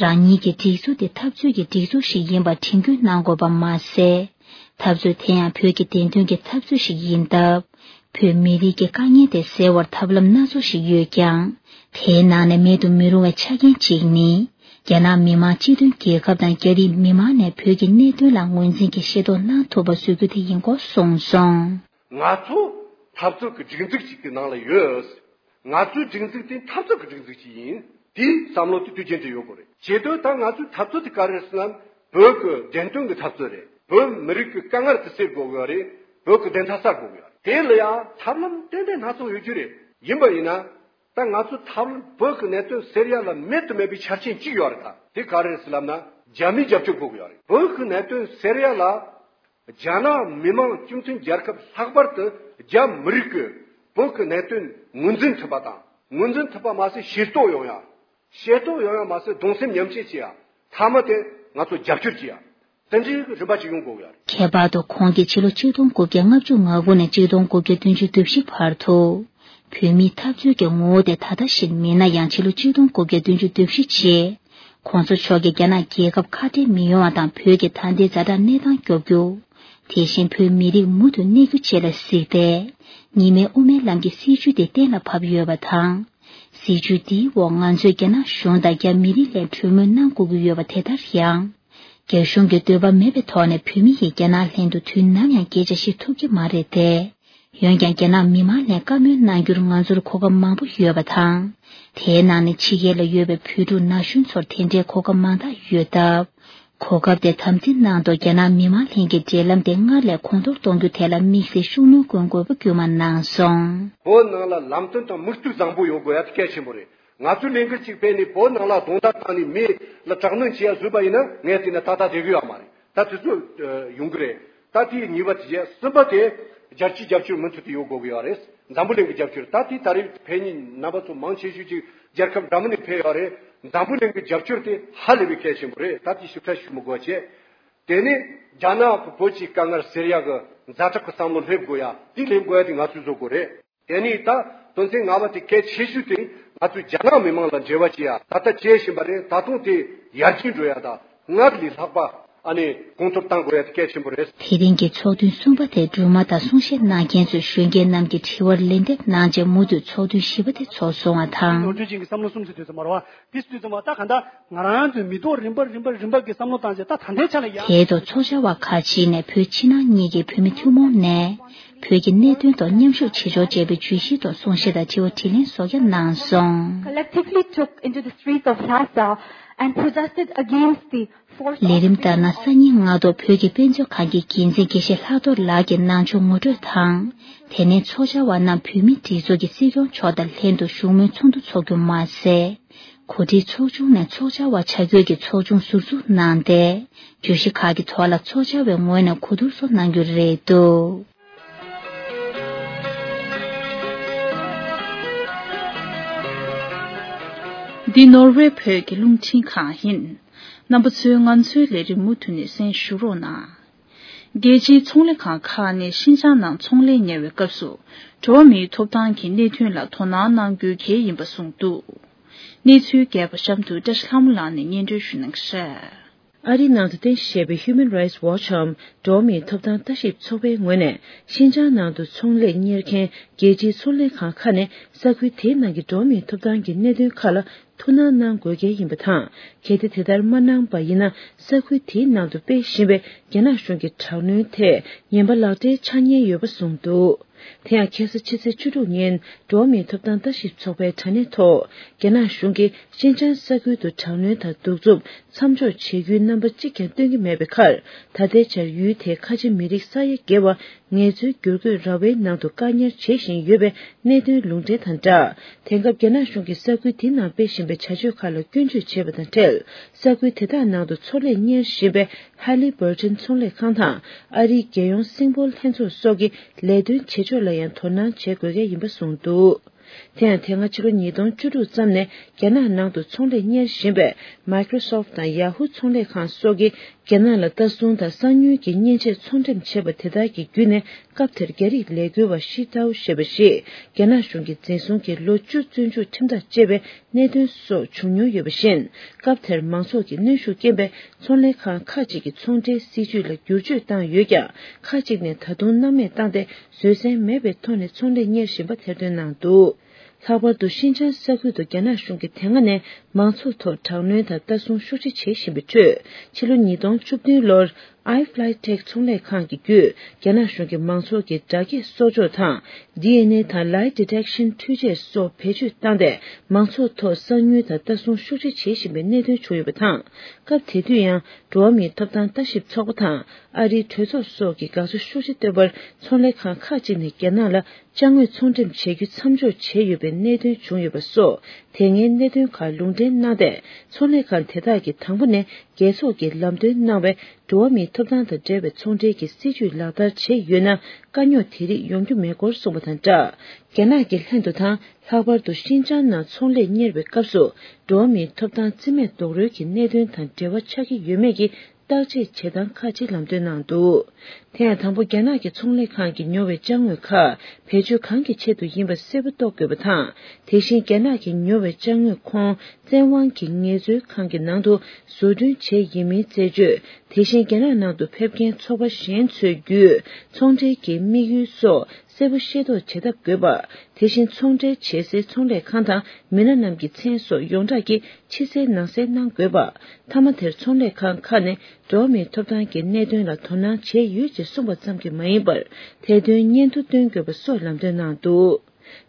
རང་ཉིད་ཀྱི་སྒྲིག་འཛུགས་དེ་འཐབ་རྩོད་ཀྱི་སྒྲིག་འཛུགས་ཤིག་ཡིན་པར་དྲན་སྐུལ་གནང་དགོས་པ་མ་ཟད། འཐབ་རྩོད་དེ་ཡང་བོད་ཀྱི་བདེན་དོན་གྱི་འཐབ་རྩོད་ཞིག་ཡིན་སྟབས། བོད་མི་རིགས་ཀྱི་དཀའ་ངལ་དེ་སེལ་བར་ཐབས་ལམ་སྣ་ཚོགས་ཤིག་ཡོད་ཀྱང་། དེའི་ནང་ནས་མེད་དུ་མི་རུང་བའི་ཆ་རྐྱེན་གཅིག་ནི། རྒྱ་ནག་མི་དམངས་སྤྱི་མཐུན་རྒྱལ་ཁབ་དང་རྒྱ་རིགས་མི་མང་ནས་བོད་ཀྱི་གནད་དོན་ལ་ངོས་འཛིན་གྱིས་ཤེས་རྟོགས་གནང་ཐུབ་པ་བཟོ་རྒྱུ་དེ་ཡིན་སྐོར་གསུངས་སོང་། ང་ཚོ་འཐབ་རྩོད་ཀྱི་སྒྲིག་འཛུགས་ཤིག་གི་ནང་ལ་ཡོད། ང་ཚོའི་སྒྲིག་འཛུགས་དེ་འཐབ་རྩོད་ཀྱི་སྒྲིག་འཛུགས་ཤིག་ཡིན། དེའི་བསམ་བློ་དེ་དུས་རྒྱུན་དུ་ཡོད་དགོས་རེད། བྱེད་དོན་ད་ང་ཚོའི་འཐབ་རྩོད་དེ་ག་རེ་རེད་ཟེར་ན། བོད་ཀྱི་བདེན་དོན་གྱི་འཐབ་རྩོད་རེད། བོད་མི་རིགས་ཀྱི་དཀའ་ངལ་དེ་སེལ་དགོས་ཀྱི་ཡོད་རེད། བོད་ཀྱི་བདེན་མཐའ་གསལ་དགོས་ཀྱི་ཡོད་རེད། དེ་ལ་ཡང་ཐབས་ལམ་ཏན་ཏན་སྣ་ཚོགས་ཡོད་རྒྱུ་རེད། ཡིན་པ་ཡིན་ན། ད་ང་ཚོ་ཐབས་ལམ་བོད་ཀྱི་གནད་དོན་སེལ་ཡ་ལ་མེད་དུ་མེད་པའི་ཆ་རྐྱེན་གཅིག་ཡོད་རེད། ད་དེ་ག་རེ་རེད་ཟེར་ལབ་ན། རྒྱ་མིའི་རྒྱབ་སྐྱོར་དགོས་ཀྱི་ཡོད་རེད། བོད་ཀྱི་གནད་དོན་སེལ་ཡ་ལ་རྒྱ་ནག་མི་དམངས་སྤྱི་མཐུན་རྒྱལ་ཁབ་ལྷག་པར་དུ་རྒྱ་མི་རིགས་ཀྱིས་བོད་ཀྱི་གནད་དོན་ངོས་འཛིན་ཐུབ་པ་དང་། ངོས་འཛིན་ཐུབ་པ་མ་ཟད་ཤེས་རྟོགས་ཡོང་ཡ། ཤེས་རྟོགས་ཡོང་ཡ་མ་ཟད་གདུང་སེམས་མཉམ་སྐྱེད་བྱེད་ཡ། མཐའ་མ་དེ་ང་ཚོ་རྒྱབ་སྐྱོར་བྱེད་ཡ། དེ་འདྲའི་རིམ་པ་ཅིག་ཡོང་དགོས་ཀྱི་ཡོད་རེད། ཁྱད་པར་དུ་ཁོང་གིས་ཕྱི་ལོ་ཆིག་སྟོང་དགུ་བརྒྱ་ལྔ་བཅུ་ང་དགུ་ནས་ཆིག་སྟོང་དགུ་བརྒྱ་བདུན་ཅུ་དོན་བཞི་བར་དུ། བོད་མིའི་འཐབ་རྩོད་ཀྱི་ངོ་བོ་དེ་ད་ལྟ་བཞིན་མིན་ན་ཡང་། ཕྱི་ལོ་ཆིག་སྟོང་དགུ་བརྒྱ་བདུན་ཅུ་དོན་བཞི་རྗེས། ཁོང་ཚོ་མཆོག་གིས་རྒྱ་ནག་རྒྱལ་ཁབ་ཁ་བྲལ་མི་ཡོང་བ་དང་། བོད་ཀྱི་ད་ལྟའི་ཛ་དྲག་གནས་སྟངས་སྐྱོབ་རྒྱུ། དེ་བཞིན་བོད་མི་རིགས་མུ་མཐུད་གནས་རྒྱུ་བཅས་ལ་གཟིགས་ཏེ། གཉིས་སྨན་དབུ་མའི་ལམ་གྱི་སྲིད་བྱུས་དེ་གཏན་ལ་ཕབ་ཡོད་པ་དང་། སྲིད་བྱུས་འདིའི་འོག་ང་ཚོས་རྒྱ་ནག་གཞུང་དང་རྒྱ་མི་རིགས་ལ་གྲོས་མོལ་གནང་དགོས་ཀྱི་ཡོད་པ་དེ་ལྟར་ཡང་། རྒྱ་གཞུང་གི་འདོད་པ་མེད་པའི་ཐོག་ནས་བོད་མི་ཡིས་རྒྱ་ནག་ལྷན་དུ་དུས་ནམ་ཡང་སྐད་ཆ་བཤད་ཐུབ་ཀྱི་མ་རེད་དེ། འོན་ཀྱང་རྒྱ་ནག་མི་མང་ལ་བཀའ་མོལ་གནང་རྒྱུར་ང་ཚོར་གོ་སྐབས་མང་པོ་ཡོད་པ་དང་། དེའི་ནང་ནས་ཕྱི་རྒྱལ་ལ་ཡོད་པའི་བོད་ཕྲུག་ན་གཞོན་ཚོར་དེ་འདྲའི་གོ་སྐབས་མང་དག་ཡོད་སྟབས། གོ་སྐབས་དེ་དམ་འཛིན་གནང་ཐོག་རྒྱ་ནག་མི་མང་ལྷན་གྱི་འབྲེལ་ལམ་དེ་སྔར་ལས་གོང་མཐོར་གཏོང་རྒྱུ་དེ་ལ་དམིགས་བསལ་ཤུགས་སྣོན་སྐྱོན་དགོས་པ་དཀྱུས་མ་གནང་སོང་། བོད་ནང་ལ་ལམ་སྟོན་དང་མིག་ལྟོས་བཟང་པོ་ཡོད་དགོས་ཡ་དེ་གལ་ཆེན་པོ་རེད། ང་ཚོའི་ལས་འགུལ་གཅིག་སྤེལ་ནས་བོད་ནང་ལ་རྡུང་རྡེག་བཏང་ནས་མི་ལ་དྲག་གནོན་བྱེད་ཡ་བཟོས་པ་ཡིན་ན། ངས་བལྟས་ན་ད་ལྟ་བསྡད་གི་ཡོད་མ་རེད། ད་དེ་ཚོ་ཡོང་གི་རེད། ད་དེ་གཉིས་པ་དེ་བྱས། གསུམ་པ་དེ་རྒྱལ་སྤྱིའི་རྒྱབ་སྐྱོར་མུ་མཐུད་དུ་ཡོད་དགོས་ཀྱི་ཡོད་རེད། འཛམ་བུ་གླིང་གི་རྒྱབ་སྐྱོར། ད་དེ་ད་རེས་ཕེབས་མཁན་རྣམ་པ་ཚོ་མང་ཆེ་ཤོས་ཅིག་རྒྱལ་ཁབ་འདྲ་མིན་ནས་ཕེབས་ཡོད་རེད། འཛམ་བུ་གླིང་གི་རྒྱབ་སྐྱོར་དེ་ཧ་ལས་པའི་གལ་ཆེན་པོ་རེད། ད་དེ་ཞིབ་ཕྲ་ཞུ་མི་དགོས་བྱས། དེ་ནས་རྒྱ་ནག་གིས་བོད་ཀྱི་དཀའ་ངལ་སེལ་ཡག་གི་ཛ་དྲག་གི་བསམ་བློ་སླེབས་དགོས་ཡ། དེ་སླེབས་དགོས་ཡ་དེ་ང་ཚོས་བཟོ་དགོས་རེད། དེ་ནས་ད་དོན་ཚན་ལྔ་པ་དེ་གལ་ཆེ་ཤོས་དེ། ང་ཚོས་རྒྱ་ནག་མི་མང་ལ་འབྲེལ་བ་བྱེད་ཡ། ད་ལྟ་བྱེད་བཞིན་པ་རེད། ད་དུང་དེ་ཡར་རྒྱས་འགྲོ་ཡ་དང་། སྔར་ལས་ལྷག་པ་ཨ་ནི་གོང་མཐོར་གཏང་དགོས་ཡ་དེ་གལ་ཆེན་པོ་རེད། དེ་རིང་གི་ཚོགས་ཐུན་གསུམ་པ་དེ་སྦྲགས་མ་དང་གསུང་བཤད་གནང་མཁན་ཚོས་གཞོན་སྐྱེས་རྣམས་ཀྱི་དྲི་བར་ལན་འདེབས་གནང་རྗེས་མུ་མཐུད་ཚོགས་ཐུན་བཞི་པ་དེ་ཚོགས་སོང་བ་དང་། ནོར་འཁྲུལ་ཅན་གྱི་བསམ་བློ་གསུམ་ཟེར་དུས་ཙམ་པ་རེད་བ། དེ་ཟེར་དུས་ཙམ་པ་ད་ག་འདྲ་ང་རང་ཚོའི་མི་ཐོག་རིམ་པ་རིམ་པ་རིམ་པ་གི་བསམ་བློ་བཏང་རྗེས། ད་ད་ལྟའི་ཆ་ལ་ཡ། དེའི་ཐོག་ཚོགས་བཅར་བ་ཁག་ཅིག་ནས་བོད་ཕྱི་ནང་གཉིས་ཀྱི་བོད་མི་ཐུན་མོང་ནས་བོད་ཀྱི་གནད་དོན་ཐོག་མཉམ་ཞུགས་བྱེད་ཕྱོགས་བཅས་པའི་བརྗོད་གཞིའི་ཐོག་གསུང་བཤད་དང་དྲི་བ་དྲིས་ལན་སོགས་ཀྱང་གནང་སོང་། Collectively took into the streets of Lhasa and protested against the forced ལས་རིམ་ལྟར་ན། སང་ཉིན་སྔ་དྲོ་བོད་ཀྱི་དཔེ་མཛོད་ཁང་གི་འགན་འཛིན་དགེ་བཤེས་ལྷག་རྡོར་ལགས་ཀྱིས་གནང་ཕྱོགས་ངོ་སྤྲོད་དང་། དེ་ནས་ཚོགས་བཅར་བ་རྣམས་བོད་མིའི་སྒྲིག་འཛུགས་ཀྱི་སྲིད་སྐྱོང་མཆོག་དང་ལྷན་དུ་བཞུགས་མོལ་ཚོགས་འདུ་འཚོགས་རྒྱུ་མ་ཟད། གོ་སྒྲིག་ཚོགས་ཆུང་ནས་ཚོགས་བཅར་བ་བཅར་དགོས་ཀྱི་ཚོགས་ཆུང་ཟུར་འཛུགས་གནང་སྟེ། བརྗོད་གཞི་ཁག་གི་ཐོག་ལ་ཚོགས་བཅར་བའི་ངོས་ནས་གོ་བསྡུར་སོགས་གནང་རྒྱུ་རེད་འདུག་འདི་ནོར་ཝེ་བོད་ཀྱི་རླུང་འཕྲིན་ཁང་ཡིན། རྣམ་པ་ཚོས་ང་ཚོའི་ལས་རིམ་མུ་མཐུད་ནས་གསན་ཞུ་རོགས་གནང་། རྒྱལ་སྤྱིའི་ཚོང་ལས་ཁང་ཁག་ནས་ཤིན་ཅང་ནང་ཚོང་ལས་གཉེར་བའི་སྐབས་སུ། འགྲོ་བ་མིའི་ཐོབ་ཐང་གི་གནད་དོན་ལ་དོ་སྣང་གནང་དགོས་གལ་ཡིན་པ་གསུངས་འདུག་གནས་ཚུལ་རྒྱས་པ་གཤམ་དུ་བཀྲ་ཤིས་ལྷ་མོ་ལགས་ནས་སྙན་སྒྲོན་ཞུ་གནང་གི་རེད། ཨ་རིའི་ནང་དུ་རྟེན་གཞི་བྱས་པའི་Human Rights Watch འམ་འགྲོ་བ་མིའི་ཐོབ་ཐང་ལྟ་ཞིབ་ཚོགས་པའི་ངོས་ནས། ཤིན་ཅང་ནང་དུ་ཚོང་ལས་གཉེར་མཁན་རྒྱལ་སྤྱིའི་ཚོང་ལས་ཁང་ཁག་ནས་ས་ཁུལ་དེའི་ནང་གི་འགྲོ་བ་མིའི་ཐོབ་ཐང་གི་གནད་དོན་ཁག་ལ་ཐུགས་སྣང་གནང་དགོས་གལ་ཡིན་པ་དང་། གལ་ཏེ་དེ་ལྟར་མ་གནང་པ་ཡིན་ན། ས་ཁུལ་དེའི་ནང་དུ་སྤེལ་བཞིན་པའི་རྒྱ་ནག་གཞུང་གི་དྲག་གནོན་ཐད་ངན་པ་ལག་འབྲེལ་ཆགས་ཉེན་ཡོད་པ་གསུངས་འདུག་དེ་ཡང་ཁ་སང་ཕྱི་ཚེས་བཅུ་དྲུག་ཉིན་འགྲོ་བ་མིའི་ཐོབ་ཐང་ལྟ་ཞིབ་ཚོགས་པའི་དྲ་གནས་ཐོག་རྒྱ་ནག་གཞུང་གིས་ཤིན་ཅང་ས་ཁུལ་དུ་དྲག་གནོན་དང་གདུག་རྩུབ་མཚམས་འཇོག་བྱེད་རྒྱུའི་རྣམ་པ་གཅིག་ཀྱང་སྟོན་གྱི་མེད་པའི་ཁར། ད་ལྟའི་ཆར་ཡུལ་དེའི་ཁ་ཆེ་མི་རིགས་ས་ཡ་བརྒལ་བ་ངལ་རྩོལ་བསྒྱུར་བཀོད་ར་བའི་ནང་དུ་བཀག་ཉར་བྱེད་བཞིན་ཡོད་པའི་གནད་དོན་ལུང་འདྲེན་དང་སྦྲགས། དེང་སྐབས་རྒྱ་ནག་གཞུང་གིས་ས་ཁུལ་དེའི་ནང་སྤེལ་བཞིན་པའི་བྱ་སྤྱོད་ཁག་ལ་སྐྱོན་བརྗོད་བྱས་པ་དང་འབྲེལ། ས་ཁུལ་དེ་དག་ནང་དུ་ཚོང་ལས་གཉེར་བཞིན་པའི་ཧ་ལི་བར་ཊན་ཚོང་ལས་ཁང་དང་། ཨ་རིའི་རྒྱལ་ཡོངས་སིང་པོལ་ལྷན་ཚོགས་སོགས་ཀྱི་ལས་དོན་བྱེད་ཕྱོགས་ལ་ཡང་དོ་སྣང་བྱེད་དགོས་གལ་ཡིན་པ་གསུངས་འདུག་དེ་ཡང་དེ་སྔ་ཕྱི་ལོ་ཉིས་སྟོང་བཅུ་དྲུག་ཙམ་ནས་རྒྱ་ནག་ནང་དུ་ཚོང་ལས་གཉེར་བཞིན་པའི་Microsoft དང་Yahoo ཚོང་ལས་ཁང་སོགས་ཀྱིས་རྒྱ་ནག་ལ་ལྟ་སྲུང་དང་གསང་ཉུལ་གྱི་མཉེན་ཆས་ཚོང་འགྲེམས་བྱས་པ་དེ་དག་གི་བརྒྱུད་ནས། སྐབས་དེར་རྒྱ་རིགས་ལས་འགུལ་བ་ཤི་ཏའོ་ཞེས་པ་ཞིག་རྒྱ་ནག་གཞུང་གིས་འཛིན་བཟུང་གིས་ལོ་བཅུ་བཙོན་འཇུག་ཁྲིམས་ཐག་བཅད་པའི་གནད་དོན་སོགས་བྱུང་མྱོང་ཡོད་པ་བཞིན། སྐབས་དེར་མང་ཚོགས་ཀྱི་གནོན་ཤུགས་རྐྱེན་པས་ཚོང་ལས་ཁང་ཁག་ཅིག་གི་ཚོང་འབྲེལ་སྲིད་ཇུས་ལ་བསྒྱུར་བཅོས་བཏང་ཡོད་ཀྱང་། ཁག་ཅིག་ནས་ད་དུང་སྣང་མེད་བཏང་སྟེ། བཟོད་བསྲན་མེད་པའི་ཐོག་ནས་ཚོང་ལས་གཉེར་བཞིན་པ་ཐེར་འདོན་གནང་འདུག་ལྷག་པར་དུ་ཤིན་ཅང་ས་ཁུལ་དུ་རྒྱ་ནག་གཞུང་གིས་དེ་སྔ་ནས་མང་ཚོགས་ཐོག་དྲག་གནོན་དང་ལྟ་སྲུང་ཤུགས་ཆེ་བྱེད་བཞིན་པའི་ཁྲོད། ཕྱི་ལོ་ཉིས་སྟོང་བཅུ་བདུན་ལོར། iFlytek ཚོང་ལས་ཁང་གི་བརྒྱུད་རྒྱ་ནག་གཞུང་གིས་མང་ཚོགས་ཀྱི་སྒྲ་སྐྱེད་སོར་འཇོག་དང་། ཌི་ཨེན་ཨེ་དང་Lie Detection འཕྲུལ་ཆས་སོགས་བེད་སྤྱོད་བཏང་སྟེ། མང་ཚོགས་ཐོག་གསང་ཉུལ་དང་ལྟ་སྲུང་ཤུགས་ཆེ་བྱེད་བཞིན་པའི་གནད་དོན་བྱུང་ཡོད་པ་དང་། སྐབས་དེ་དུས་ཡང་། འགྲོ་བ་མིའི་ཐོབ་ཐང་ལྟ་ཞིབ་ཚོགས་པ་དང་། ཨ་རིའི་གྲོས་ཚོགས་སོགས་ཀྱིས་དགག་བྱ་ཤུགས་ཆེ་བཏོན་པར། ཚོང་ལས་ཁང་ཁག་ཅིག་ནས་རྒྱ་ནག་ལ་ཅ་དངོས་ཚོང་འགྲེམས་བྱེད་རྒྱུ་མཚམས་འཇོག་བྱས་ཡོད་པའི་གནད་དོན་བྱུང་ཡོད་པ་སོགས། དེ་སྔའི་གནད་དོན་ཁག་ལུང་འདྲེན་གནང་སྟེ། ཚོང་ལས་ཁང་དེ་དག་གིས་དང་པོ་ནས་རྒྱལ་ཚོགས་ཀྱིས་ལམ་སྟོན་གནང་བའི་འགྲོ་བ་མིའི་ཐོབ་ཐང་དང་འབྲེལ་བའི་ཚོང་འབྲེལ་གྱི་སྲིད་ཇུས་ལག་བསྟར་བྱས་ཡོད་ན། དཀའ་རྙོག་དེ་རིགས་ཡོང་རྒྱུ་མེད་སྐོར་གསུངས་པ་དང་སྦྲགས། རྒྱ་ནག་གི་ལྷན་དུ་དང་། ལྷག་པར་དུ་ཤིན་ཅང་ནང་ཚོང་ལས་གཉེར་བའི་སྐབས་སུ། འགྲོ་བ་མིའི་ཐོབ་ཐང་རྩིས་མེད་རྡོག་རོལ་གྱི་གནད་དོན་དང་འབྲེལ་བ་ཆགས་ཀྱི་ཡོད་མེད་ཀྱི་བརྟག་དཔྱད་བྱེད་སྟངས་ཁག་ཅིག་ལམ་སྟོན་གནང་འདུག་དེ་ཡང་དང་པོ། རྒྱ་ནག་གི་ཚོང་ལས་ཁང་གིས་ཉོ་བའི་ཅ་དངོས་ཁག་བེད་སྤྱོད་གང་གི་ཆེད་དུ་ཡིན་པ་གསལ་པོ་རྟོགས་དགོས་པ་དང་། དེ་བཞིན་རྒྱ་ནག་གིས་ཉོ་བའི་ཅ་དངོས་ཁོངས་བཙན་དབང་གི་ངལ་རྩོལ་ཁང་གི་ནང་དུ་བཟོ་སྐྲུན་བྱས་ཡིན་མིན་རྩད་གཅོད། དེ་བཞིན་རྒྱ་ནག་ནང་དུ་ཕེབས་མཁན་ཚོགས་པ་གཞན་ཚོའི་བརྒྱུད་ཚོང་འབྲེལ་གྱི་དམིགས་ཡུལ་སོགས། གསལ་པོ་ཤེས་རྟོགས་བྱེད་ཐབས་དགོས་པ། དེ་བཞིན་ཚོང་འབྲེལ་བྱེད་སའི་ཚོང་ལས་ཁང་དང་མི་སྣ་རྣམས་ཀྱི་མཚན་སོགས་ཡོངས་གྲགས་ཀྱིས་ཕྱི་གསལ་ནང་གསལ་གནང་དགོས་པ། མཐའ་མ་དེར་ཚོང་ལས་ཁང་ཁག་ནས་འགྲོ་བ་མིའི་ཐོབ་ཐང་གི་གནད་དོན་ལ་དོ་སྣང་བྱས་ཡོད་ཅེས་གསུངས་པ་ཙམ་གྱིས་མ་ཡིན་པར། དེ་དོན་སྙན་ཐོ་སྟོན་དགོས་པ་སོགས་ལམ་སྟོན་གནང་འདུག་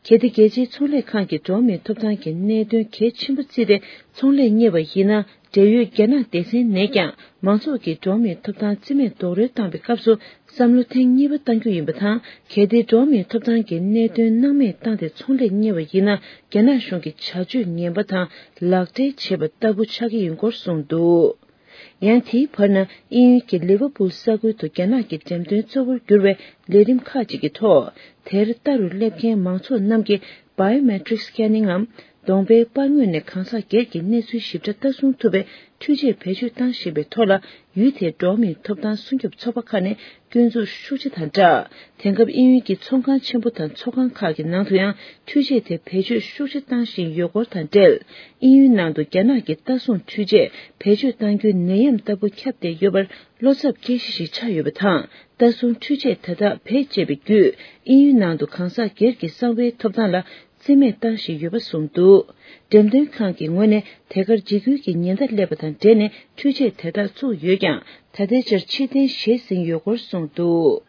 གལ་ཏེ་རྒྱལ་སྤྱིའི་ཚོང་ལས་ཁང་གིས་འགྲོ་བ་མིའི་ཐོབ་ཐང་གི་གནད་དོན་གལ་ཆེན་པོ་བརྩིས་ཏེ་ཚོང་ལས་གཉེར་བ་ཡིན་ན། འབྲེལ་ཡོད་རྒྱ་ནག་སྡེ་ཚན་ནས་ཀྱང་མང་ཚོགས་ཀྱི་འགྲོ་བ་མིའི་ཐོབ་ཐང་རྩིས་མེད་རྡོག་རོལ་བཏང་བའི་སྐབས་སུ། བསམ་བློ་ཐེངས་གཉིས་པ་གཏང་རྒྱུ་ཡིན་པ་དང་། གལ་ཏེ་འགྲོ་བ་མིའི་ཐོབ་ཐང་གི་གནད་དོན་སྣང་མེད་བཏང་སྟེ་ཚོང་ལས་གཉེར་བ་ཡིན་ན། རྒྱ་ནག་གཞུང་གི་བྱ་སྤྱོད་ངན་པ་དང་ལག་འབྲེལ་བྱེད་པ་ལྟ་བུ་ཆགས་ཀྱི་ཡིན་སྐོར་གསུངས་འདུག་ཡང་དེའི་བར་ན། དབྱིན་ཡུལ་གྱི་ལི་ཝར་པུལ་ས་ཁུལ་དུ་རྒྱ་ནག་གི་འགྲེམས་སྟོན་གཙོ་བོར་གྱུར་བའི་ལས་རིམ་ཁག་ཅིག་གི་ཐོག་དེར་ལྟ་རུ་སླེབས་མཁན་མང་ཚོགས་རྣམས་ཀྱི་Biometric Scanning ངམ། གདོང་པའི་པར་ངོས་ནས་གང་ཟག་སྒེར་གྱི་གནས་ཚུལ་ཞིབ་ཕྲ་ལྟ་སྲུང་ཐུབ་པའི་འཕྲུལ་ཆས་བེད་སྤྱོད་བཏང་བཞིན་པའི་ཐོག་ལ། ཡུལ་དེའི་འགྲོ་བ་མིའི་ཐོབ་ཐང་སྲུང་སྐྱོབ་ཚོགས་པ་ཁག་ནས་སྐྱོན་འཛུགས་ཤུགས་ཆེ་དང་སྦྲགས། དེང་སྐབས་དབྱིན་ཡུལ་གྱི་ཚོང་ཁང་ཆེན་པོ་དང་ཚོགས་ཁང་ཁག་གི་ནང་དུ་ཡང་འཕྲུལ་ཆས་དེ་བེད་སྤྱོད་ཤུགས་ཆེ་བཏང་བཞིན་ཡོད་སྐོར་དང་འབྲེལ། དབྱིན་ཡུལ་ནང་དུ་རྒྱ་ནག་གི་ལྟ་སྲུང་འཕྲུལ་ཆས་བེད་སྤྱོད་གཏང་རྒྱུའི་ནད་ཡམས་ལྟ་བུ་ཁྱབ་བསྡད་ཡོད་པར། བློ་འཚབ་སྐྱེ་གཞི་ཞིག་ཆགས་ཡོད་པ་དང་། ལྟ་སྲུང་འཕྲུལ་ཆས་དེ་དག་བེད་སྤྱད་པའི་བརྒྱུད། དབྱིན་ཡུལ་ནང་དུ་གང་ཟག་སྒེར་གྱི་གསང་བའི་ཐོབ་ཐང་ལ་རྩིས་མེད་བཏང་བཞིན་ཡོད་པ་གསུངས་འདུག་འགྲེམས་སྟོན་ཁང་གི་ངོས་ནས་དེ་གར་འཇིགས་སྐུལ་གྱི་ཉེན་བརྡ་སླེབས་པ་དང་འབྲེལ་ནས་འཕྲུལ་ཆས་དེ་དག་བཙུགས་ཡོད་ཀྱང་། ད་ལྟའི་ཆར་ཕྱིར་འཐེན་བྱས་ཟིན་ཡོད་སྐོར་གསུངས་འདུག་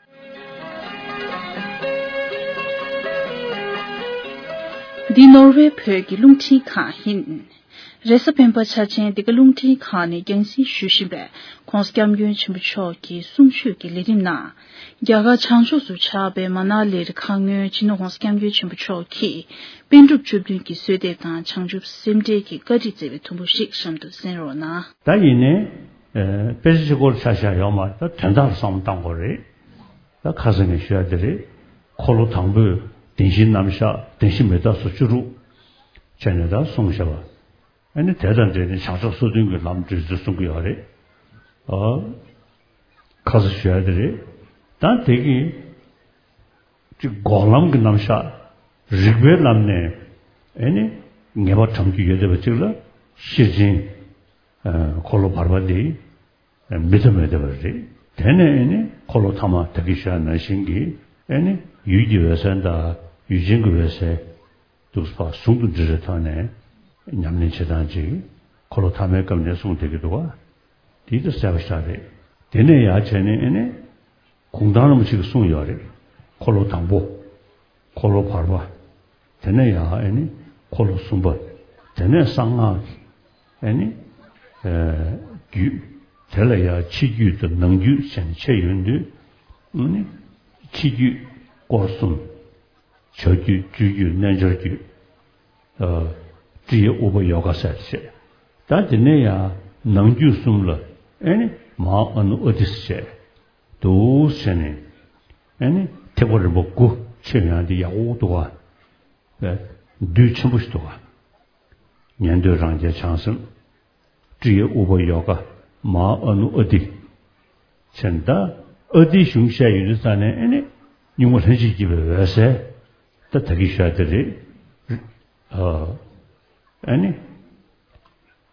འདི་ནོར་ཝེ་བོད་ཀྱི་རླུང་འཕྲིན་ཁང་ཡིན། རེས་གཟའ་སྤེན་པ་འཆར་ཅན་འདི་ག་རླུང་འཕྲིན་ཁང་ནས་རྒྱང་སྲིང་ཞུ་བཞིན་པའི་༧གོང་ས་༧སྐྱབས་མགོན་ཆེན་པོ་མཆོག་གི་གསུང་ཆོས་ཀྱི་ལས་རིམ་ནང་། རྒྱ་གར་བྱང་ཕྱོགས་སུ་ཆགས་པའི་མ་ན་ལིར་ཁ་སྔོན་སྤྱི་ནོར་༧གོང་ས་༧སྐྱབས་མགོན་ཆེན་པོ་མཆོག་གིས་པཎ་གྲུབ་བཅུ་བདུན་གྱི་གསོལ་འདེབས་དང་བྱང་ཆུབ་སེམས་འགྲེལ་གྱི་བཀའ་ཁྲིད་མཛད་པའི་དུམ་བུ་ཞིག་གཤམ་དུ་གསན་རོགས་གནང་། ད་ཡིན་ནའི། ཨེ། དཔེ་ཆ་གཅིག་པོར་ཆ་བཞག་ཡོད་མ་རེད། ད་དོན་དག་ལ་བསམ་བློ་བཏང་དགོས་རེད། ད་ཁ་སང་ངས་ཞུ་ཡ་དེ་རེད། འཁོར་ལོ་དང་པོས་བདེན་བཞིའི་རྣམ་གཞག་བདེན་བཞི་མི་རྟག་སོགས་བཅུ་དྲུག་བྱས་ནས་ད་གསུངས་བཞག་པ། ཨ་ནི་དེ་དང་འབྲེལ་ནས་བྱང་ཕྱོགས་སོ་བདུན་གྱི་ལམ་བགྲོད་ཚུལ་གསུང་གི་ཡོད་རེད། ཨ། ཁ་སང་ཞུ་ཡ་དེ་རེད། ད་དེ་གི་ཅིག་འགོག་ལམ་གྱི་རྣམ་གཞག་རིགས་པའི་ལམ་ནས་ཨ་ནི་ངེས་པ་དྲངས་རྒྱུ་ཡོད་བསྡད་པ་ཅིག་ལ་ཤེར་ཕྱིན། ཨ། འཁོར་ལོ་བར་པ་འདི། མི་ཐུབ་མི་ཐུབ་པ་རེད། དེ་ནས་ཨེ་ནི་འཁོར་ལོ་ཐ་མ་ད་གིན་ཞུས་ནང་བཞིན་གྱི་ཨེ་ནི་ཡུལ་གྱི་འོད་གསལ་དང་ཡུལ་ཅན་གྱི་འོད་གསལ་འདུག་པ་ཟུང་དུ་འབྲེལ་བའི་ཐོག་ནས་ཉམས་ལེན་བྱེད་སྟངས་ཅིག་འཁོར་ལོ་ཐ་མའི་སྐབས་ནས་གསུངས་བསྡད་ཀྱི་འདུག་པ། དེ་ད་གསལ་པོ་ཞིག་རེད། དེ་ནས་ཡར་བྱས་ནས་ཨེ་ནི་གུང་ཐང་རིན་པོ་ཆེ་གིས་གསུངས་ཡོད་རེད། འཁོར་ལོ་དང་པོ། འཁོར་ལོ་བར་པ། དེ་ནས་ཡང་ཨེ་ནི་འཁོར་ལོ་གསུམ་པ། དེ་ནས་གསང་སྔགས་ཀྱི་ཨེ་ནི་ཨེ་རྒྱུད། དེ་ལ་ཡང་ཕྱི་རྒྱུད་དང་ནང་རྒྱུད་བྱས་ནས་ཕྱེ་ཡོང་དུས། ཨེ་ནི་ཕྱི་རྒྱུད་སྐོར་གསུམ། བྱ་རྒྱུད། སྤྱོད་རྒྱུད། རྣལ་འབྱོར་རྒྱུད། ཨ། ཀྲི་ཡ་ཨུ་པ་ཡོ་ག་ཟེར་བྱས། ད་དེ་ནས་ཡང་ནང་རྒྱུད་གསུམ་ལ་ཨེ་ནི་མ་ཧཱ་ཨ་ནུ་ཨ་ཏི་ཟེར་བྱས། འདུག་བྱས་ནས། ཨེ་ནི་ཐེག་པ་རིམ་པ་དགུ་ཕྱེ་ཡོང་དེ་ཡག་པོ་འདུག་ག། བདུད་ཆེན་པོ་ཞིག་འདུག་ག། ཉན་ཐོས་རང་རྒྱལ་བྱང་སེམས། ཀྲི་ཡ་ཨུ་པ་ཡོ་ག། མ་ཧཱ་ཨ་ནུ་ཨ་ཏི། བྱས་ནས་ད་ཨ་ཏིའི་གཞུང་བཤད་ཡོང་དུས་ཙ་ནས་ཨེ་ནི་སྙིགས་མ་ལྷན་ཅིག་སྐྱེས་པའི་འོད་གསལ། ད་ད་གིན་ཞུས་དེ་རེད། ཨ། ཨེ་ནི།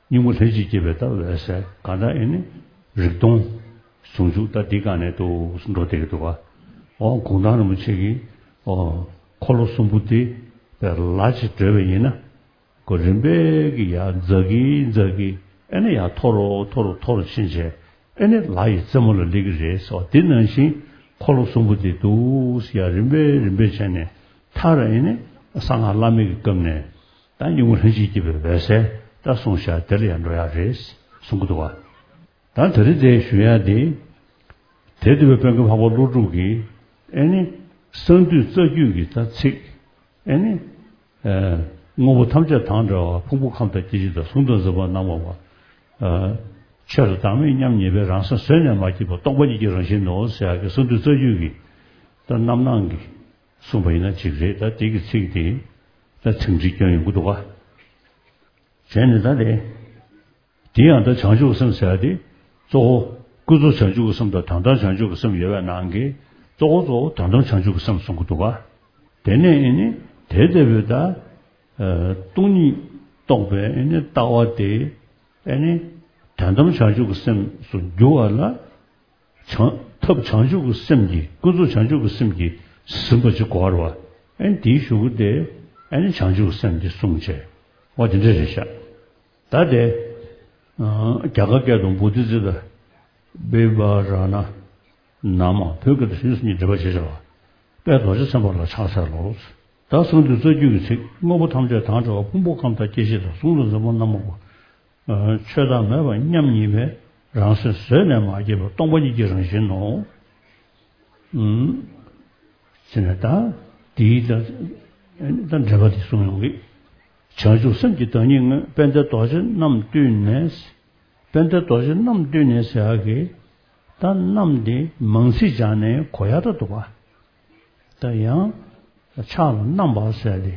སྙིགས་མ་ལྷན་ཅིག་སྐྱེས་པའི་ད་འོད་གསལ་གང་ལྟར་ཨེ་ནི་རིག་སྟོང་ཟུང་འཇུག་ད་འདི་སྒང་ནས་འདུག་འགྲོ་བསྡད་ཀྱི་འདུག་ག། ཨོ་གུང་ཐང་རིན་པོ་ཆེ་གིས་ཨོ་འཁོར་ལོ་གསུམ་པོ་འདི་ལ་ཅིག་བགྲོད་པ་ཡིན་ན། ཁོ་རིམ་པས་ཀྱི་ཡར་འཛག་གི་འཛག་གི་ཨེ་ནི་ཡར་མཐོ་རུ་མཐོ་རུ་མཐོ་རུ་ཕྱིན་བྱས། ཨེ་ནི་ལྷ་ཡི་རྩེ་མོ་ལ་སླེབས་ཀྱི་རེད་ཟེར་བ་དེ་ནང་བཞིན་འཁོར་ལོ་གསུམ་པོ་དེ་འདུག་ཟེར་ཡ་རིམ་པས་རིམ་པས་བྱས་ནས་མཐར་ཨེ་ནི་གསང་སྔགས་བླ་མེད་ཀྱི་སྐབས་ནས་ད་སྙིང་པོ་ལྷན་ཅིག་སྐྱེས་པའི་འོད་གསལ་ད་གསུངས་བཞག་དེ་ལ་ཡང་འགྲོ་ཡ་རེད་གསུང་གི་འདུག་བ། ད་དེ་རིང་དེ་ཞུ་ཡ་དེ། དེ་འདུལ་བའི་དཔལ་མགོན་འཕགས་པ་ཀླུ་སྒྲུབ་ཀྱིས་ཨེ་ནི་གསང་འདུས་རྩ་རྒྱུད་ཀྱི་ད་ཚིག་ཨེ་ནི། ཨེ། དངོས་པོ་ཐམས་ཅད་དང་བྲལ་བ་ཕུང་པོ་ཁམས་དང་སྐྱེ་མཆེད་དང་གཟུགས་དང་འཛིན་པ་རྣམ་པ་པ། ཨེ། ཆོས་དང་བདག་མེད་མཉམ་ཉིད་པའི་རང་སེམས་བཟོད་ནས་མ་སྐྱེས་པ་སྟོང་པ་ཉིད་ཀྱི་རང་བཞིན་ནོ་ཟེར་ཡག་གི་གསང་འདུས་རྩ་རྒྱུད་ཀྱི་ད་རྣམ་སྣང་གིས་གསུངས་པ་ཡིན་ན་ཅིག་རེད། ད་དེ་གི་ཚིག་དེ་ད་ཚིག་འགྲིག་སྐྱོན་ཡོང་གི་འདུག་ག་བྱས་ནས་ད་དེ། དེ་ཡང་ད་བྱང་ཆུབ་སེམས་ཟེར་ཡ་དེ་གཙོ་བོ་ཀུན་རྫོབ་བྱང་ཆུབ་ཀྱི་སེམས་དང་དོན་དམ་བྱང་ཆུབ་ཀྱི་སེམས་ཡོད་པའི་ནང་གི་གཙོ་བོ་གཙོ་བོ་དོན་དམ་བྱང་ཆུབ་ཀྱི་སེམས་གསུང་གི་འདུག་ག་དེ་ནས་ཨེ་ནི་དེ་ལྟ་བུའི་ད་ཨ་སྟོང་ཉིད་རྟོགས་པའི་ཨེ་ནི་ལྟ་བ་དེ་ཨེ་ནི་དོན་དམ་བྱང་ཆུབ་ཀྱི་སེམས་སུ་འགྱུར་བ་ལ། བྱང་། ཐབས་བྱང་ཆུབ་ཀྱི་སེམས་ཀྱིས་ཀུན་རྫོབ་བྱང་ཆུབ་ཀྱི་སེམས་ཀྱིས་ཟིན་པ་ཅིག་དགོས་རེད་བ། ཨེ་ནི་དེའི་གཞུག་གུ་དེ་ཨེ་ནི་བྱང་ཆུབ་ཀྱི་སེམས་དེ་གསུངས་བྱས་བ་དེ་འདྲ་རེད་ཤག་ད་དེ། ཨ། རྒྱ་གར་སྐད་དུ་བོ་དྷི་ཙིཏྟ་བི་བྷ་ར་ཎ་ན་མ། བོད་སྐད་དུ་ཞུས་སུ་ཉིད་འགྲེལ་པ་བྱེད་བྱ་བ། དཔལ་རྡོ་རྗེ་སེམས་དཔའ་ལ་ཕྱག་འཚལ་ལོ། ད་གསང་འདུས་རྩ་རྒྱུད་ཀྱི་ཚིག་དངོས་པོ་ཐམས་ཅད་དང་བྲལ་བ་ཕུང་པོ་ཁམས་དང་སྐྱེ་མཆེད་དང་གཟུགས་དང་འཛིན་པ་རྣམ་པ་པ། ཆོས་བདག་མེད་པ་མཉམ་ཉིད་པའི་རང་སེམས་བཟོད་ནས་མ་སྐྱེས་པ་སྟོང་པ་ཉིད་ཀྱི་རང་བཞིན་ནོ། ཨུམ། ཟེར་ནས་ད་དེའི་ད་ད་འགྲེལ་པ་དེ་གསུངས་ཡོང་གི། བྱང་ཆུབ་སེམས་ཀྱི་བདག་ཉིད་དངོས། དཔལ་ལྡན་རྡོ་རྗེ་རྣམས་བཏུལ་ནས། དཔལ་ལྡན་རྡོ་རྗེ་རྣམས་བཏུལ་ནས་ཟེར་ཡག་གི་ད་རྣམས་དེ་མང་ཚིག་སྦྱར་ནས་གོ་ཡག་ད་འདུག་ག་ད་ཡང་ཕྱག་ལ་བསྣམས་པ་ཟེར་ཏེ།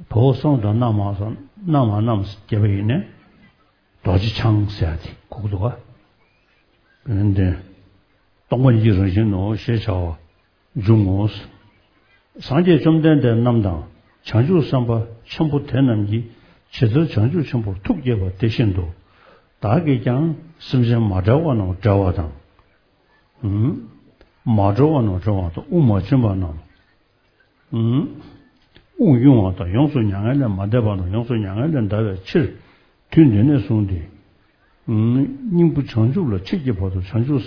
བའོ་གསང་དང་བསྣམས་མ་གསང་བསྣམས་མ་བསྣམས་ཟེར་བ་ཡིན་ནས་རྡོ་རྗེ་འཆང་ཟེར་ཏེ་གོ་གི་འདུག་ག་ཡོན་ཏན་སྟོང་པ་ཉིད་ཀྱི་རང་བཞིན་ནོ་ཞེས་བྱ་བ་འབྱུང་ངོ་། སངས་རྒྱས་བཅོམ་ལྡན་འདས་རྣམས་དང་བྱང་ཆུབ་སེམས་དཔའ་ཆེན་པོ་དེ་རྣམས་ཀྱིས་ཇི་ལྟར་བྱང་ཆུབ་ཆེན་པོར་ཐུགས་བསྐྱེད་པ་དེ་བཞིན་དུ། བདག་གིས་ཀྱང་སེམས་ཅན་མ་བསྒྲལ་བ་རྣམས་བསྒྲལ་བ་དང་། ཨུམ། མ་གྲོལ་བ་རྣམས་གྲོལ་བ་དང་དབུགས་མ་ཕྱིན་པ་རྣམས། ཨུམ། དབུགས་དབྱུང་བ་དང་ཡོངས་སུ་མྱ་ངན་ལས་མ་འདས་པ་རྣམས་ཡོངས་སུ་མྱ་ངན་ལས་འདའ་བའི་ཕྱིར་དུས་འདི་ནས་བཟུང་སྟེ། ཨུམ། སྙིང་པོ་བྱང་ཆུབ་ལ་མཆིས་ཀྱི་བར་དུ་བྱང་ཆུབ་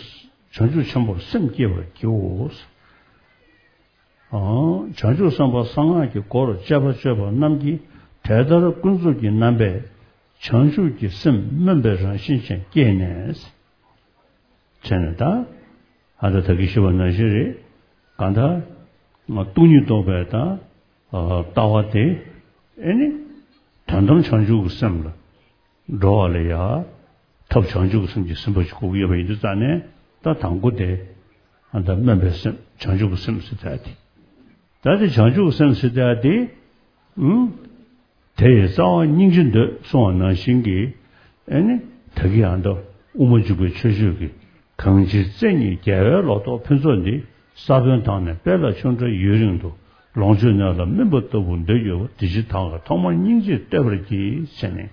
བྱང་ཆུབ་ཆེན་པོར་སེམས་བསྐྱེད་པར་བགྱིའོ། ཨང་། བྱང་ཆུབ་སེམས་དཔའ་གསང་སྔགས་ཀྱི་སྒོར་སྤྱད་པ་སྤྱོད་པ་རྣམས་ཀྱིས་དེ་ལྟར་ཀུན་རྫོབ་ཀྱི་རྣམ་པས་བྱང་ཆུབ་ཀྱི་སེམས་སྨོན་པའི་རང་བཞིན་ཅན་བསྐྱེད་ནས། བྱས་ནས་ད། ཨ་ད་ད་གིན་ཞུས་པ་ནང་བཞིན་རེད། གང་ལྟར། སྟོང་ཉིད་རྟོགས་པའི་ད། ལྟ་བ་དེ། ཨེ་ནི། དོན་དམ་བྱང་ཆུབ་ཀྱི་སེམས་ལ། འགྲོ་བ་ལ་ཡ། ཐབས་བྱང་ཆུབ་ཀྱི་སེམས་ཀྱིས་ཟིན་པ་ཞིག་དགོས་ཀྱི་ཡོད་པ་ཡིན་དུས་ཙང་ནས་ད་དང་པོ་དེ། ཨ་ད་སྨོན་པའི་སེམས་བྱང་ཆུབ་ཀྱི་སེམས་ཟེར་ད་དེ། ད་དེ་བྱང་ཆུབ་ཀྱི་སེམས་ཟེར་ད་དེ། ཨུམ། དེ་ཡི་རྩ་བ་སྙིང་རྗེ་འདོད་གསུངས་པ་ནང་བཞིན་གྱི། ཨེ་ནི། ད་གིན་ཡང་ད་དབུ་མ་འཇུག་པའི་མཆོད་བརྗོད་ཀྱི། གང་ཕྱིར་བརྩེ་ཉིད་རྒྱལ་བའི་ལོ་ཏོག་ཕུན་ཚོགས་འདི། ས་བོན་དང་ནི་དཔལ་ལ་ཆུང་འདྲ་ཡུན་རིང་དུ། ལོངས་སྤྱོད་ནོར་ལ་སྨིན་པ་ལྟ་བུ་འདོད་ཡོད་པ། དེ་ཕྱིར་ད་ག་ཐོག་མར་སྙིང་རྗེས་བསྟོད་པར་བགྱི། ཟེར་ནས།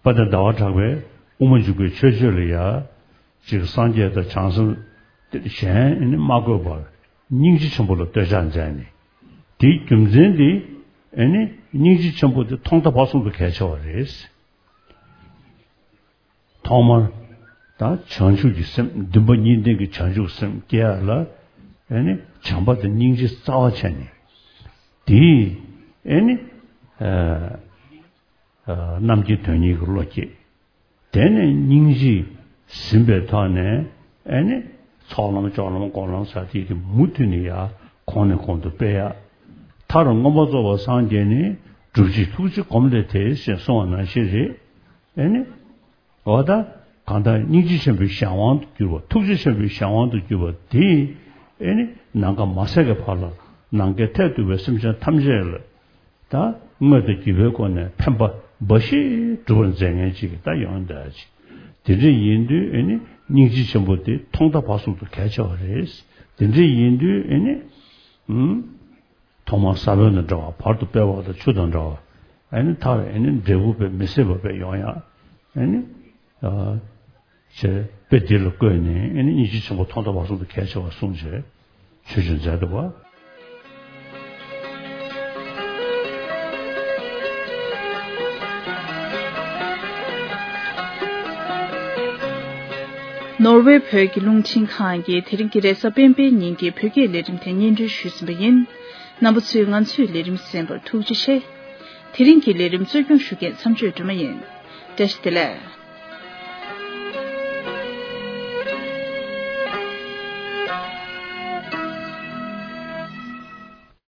དཔལ་ལྡན་ཟླ་བ་གྲགས་པས་དབུ་མ་འཇུག་པའི་མཆོད་བརྗོད་ལ་ཡ། ཅིག་སངས་རྒྱས་དང་བྱང་སེམས་གཞན་ཨེ་ནི་མ་བཀོད་པར་སྙིང་རྗེ་ཆེན་པོ་ལ་བསྟོད་ཕྱག་མཛད་ནས། དེའི་རྒྱུ་མཚན་དེ་ཨེ་ནི་སྙིང་རྗེ་ཆེན་པོ་དེ་ཐོག་མཐའ་བར་གསུམ་དུ་གལ་ཆེ་བ་རེད། ཐོག་མར་ད་བྱང་ཆུབ་ཀྱི་སེམས་འདུན་པ་གཉིས་ལྡན་གྱི་བྱང་ཆུབ་སེམས་སྐྱེ་ཡ་ལ་ཨེ་ནི་བྱམས་པ་དང་སྙིང་རྗེ་རྩ་བ་བྱས་ནས། དེས་ཨེ་ནི། རྣམ་མཁྱེན་དོན་གཉེར་གྱི་བློ་སྐྱེས། དེ་ནས་སྙིང་རྗེས་ཟིན་པའི་ཐོག་ནས་ཨེ་ནི། ཚོགས་ལམ་སྤྱོད་ལམ་སྒོམ་ལམ་ཟེར་དེ་དེ་མུ་མཐུད་ནས་ཡ་གོང་ནས་གོང་དུ་སྤེལ་ཡ། མཐར་མངོན་པར་རྫོགས་པར་སངས་རྒྱས་ནས་སྒྲུབ་བྱེད་ཐུགས་རྗེ་སྒོམ་ལས་དེ་ཞེས་གསུངས་པ་ནང་བཞིན་རེད། ཨེ་ནི། འོ་ད། གང་ལྟར་སྙིང་རྗེ་ཆེན་པོའི་གཞན་དབང་དུ་གྱུར་པ། ཐུགས་རྗེ་ཆེན་པོའི་གཞན་དབང་དུ་གྱུར་པ་དེས་ཨེ་ནི་ནམ་མཁའ་མ་ཟད་ཀྱི་བར་ལ་ནམ་མཁའི་མཐས་གཏུགས་པའི་སེམས་ཅན་ཐམས་ཅད་ལ། ད་དངོས་དང་བརྒྱུད་པའི་སྒོ་ནས་ཕན་པ་འབའ་ཞིག་སྒྲུབ་པར་མཛད་མཁན་ཅིག་ད་ཡོང་ཡ་ཅིག་དེ་འདྲ་ཡིན་དུས་ཨེ་ནི་སྙིང་རྗེ་ཆེན་པོ་དེ་ཐོག་མཐའ་བར་གསུམ་དུ་གལ་ཆེ་བ་རེད། དེ་འདྲ་ཡིན་དུས་ཨེ་ནི། ཨུམ། ཐོག་མར་ས་བོན་དང་འདྲ་བ། བར་དུ་དཔལ་བ་དང་ཆུ་དང་འདྲ་བ། ཨེ་ནི་མཐར་ཨེ་ནི་འབྲས་བུ་དཔེ་མི་སྲིད་པ་དཔེ་ཡོང་ཡ། ཨེ་ནི། ཨ། ཞེས་དཔེ་འདི་ལ་བཀོད་ནས་ཨེ་ནི་སྙིང་རྗེ་ཆེན་པོ་ཐོག་མཐའ་བར་གསུམ་དུ་གལ་ཆེ་བར་གསུངས་བྱས་ཆོས་སྤྱོད་མཛད་འདུག་པ། ནོར་ཝེ་བོད་ཀྱི་རླུང་འཕྲིན་ཁང་གིས་དེ་རིང་གི་རེས་གཟའ་སྤེན་པའི་ཉིན་གྱི་བོད་སྐད་ལས་རིམ་དེ་སྙན་སྒྲོན་ཞུས་ཟིན་པ་ཡིན། རྣམ་པ་ཚོས་ང་ཚོའི་ལས་རིམ་གསན་པར་ཐུགས་རྗེ་ཆེ། དེ་རིང་གི་ལས་རིམ་གཙོ་སྐྱོང་ཞུ་མཁན་མཚམས་གཅོད་སྒྲོལ་མ་ཡིན། བཀྲ་ཤིས་བདེ་ལེགས།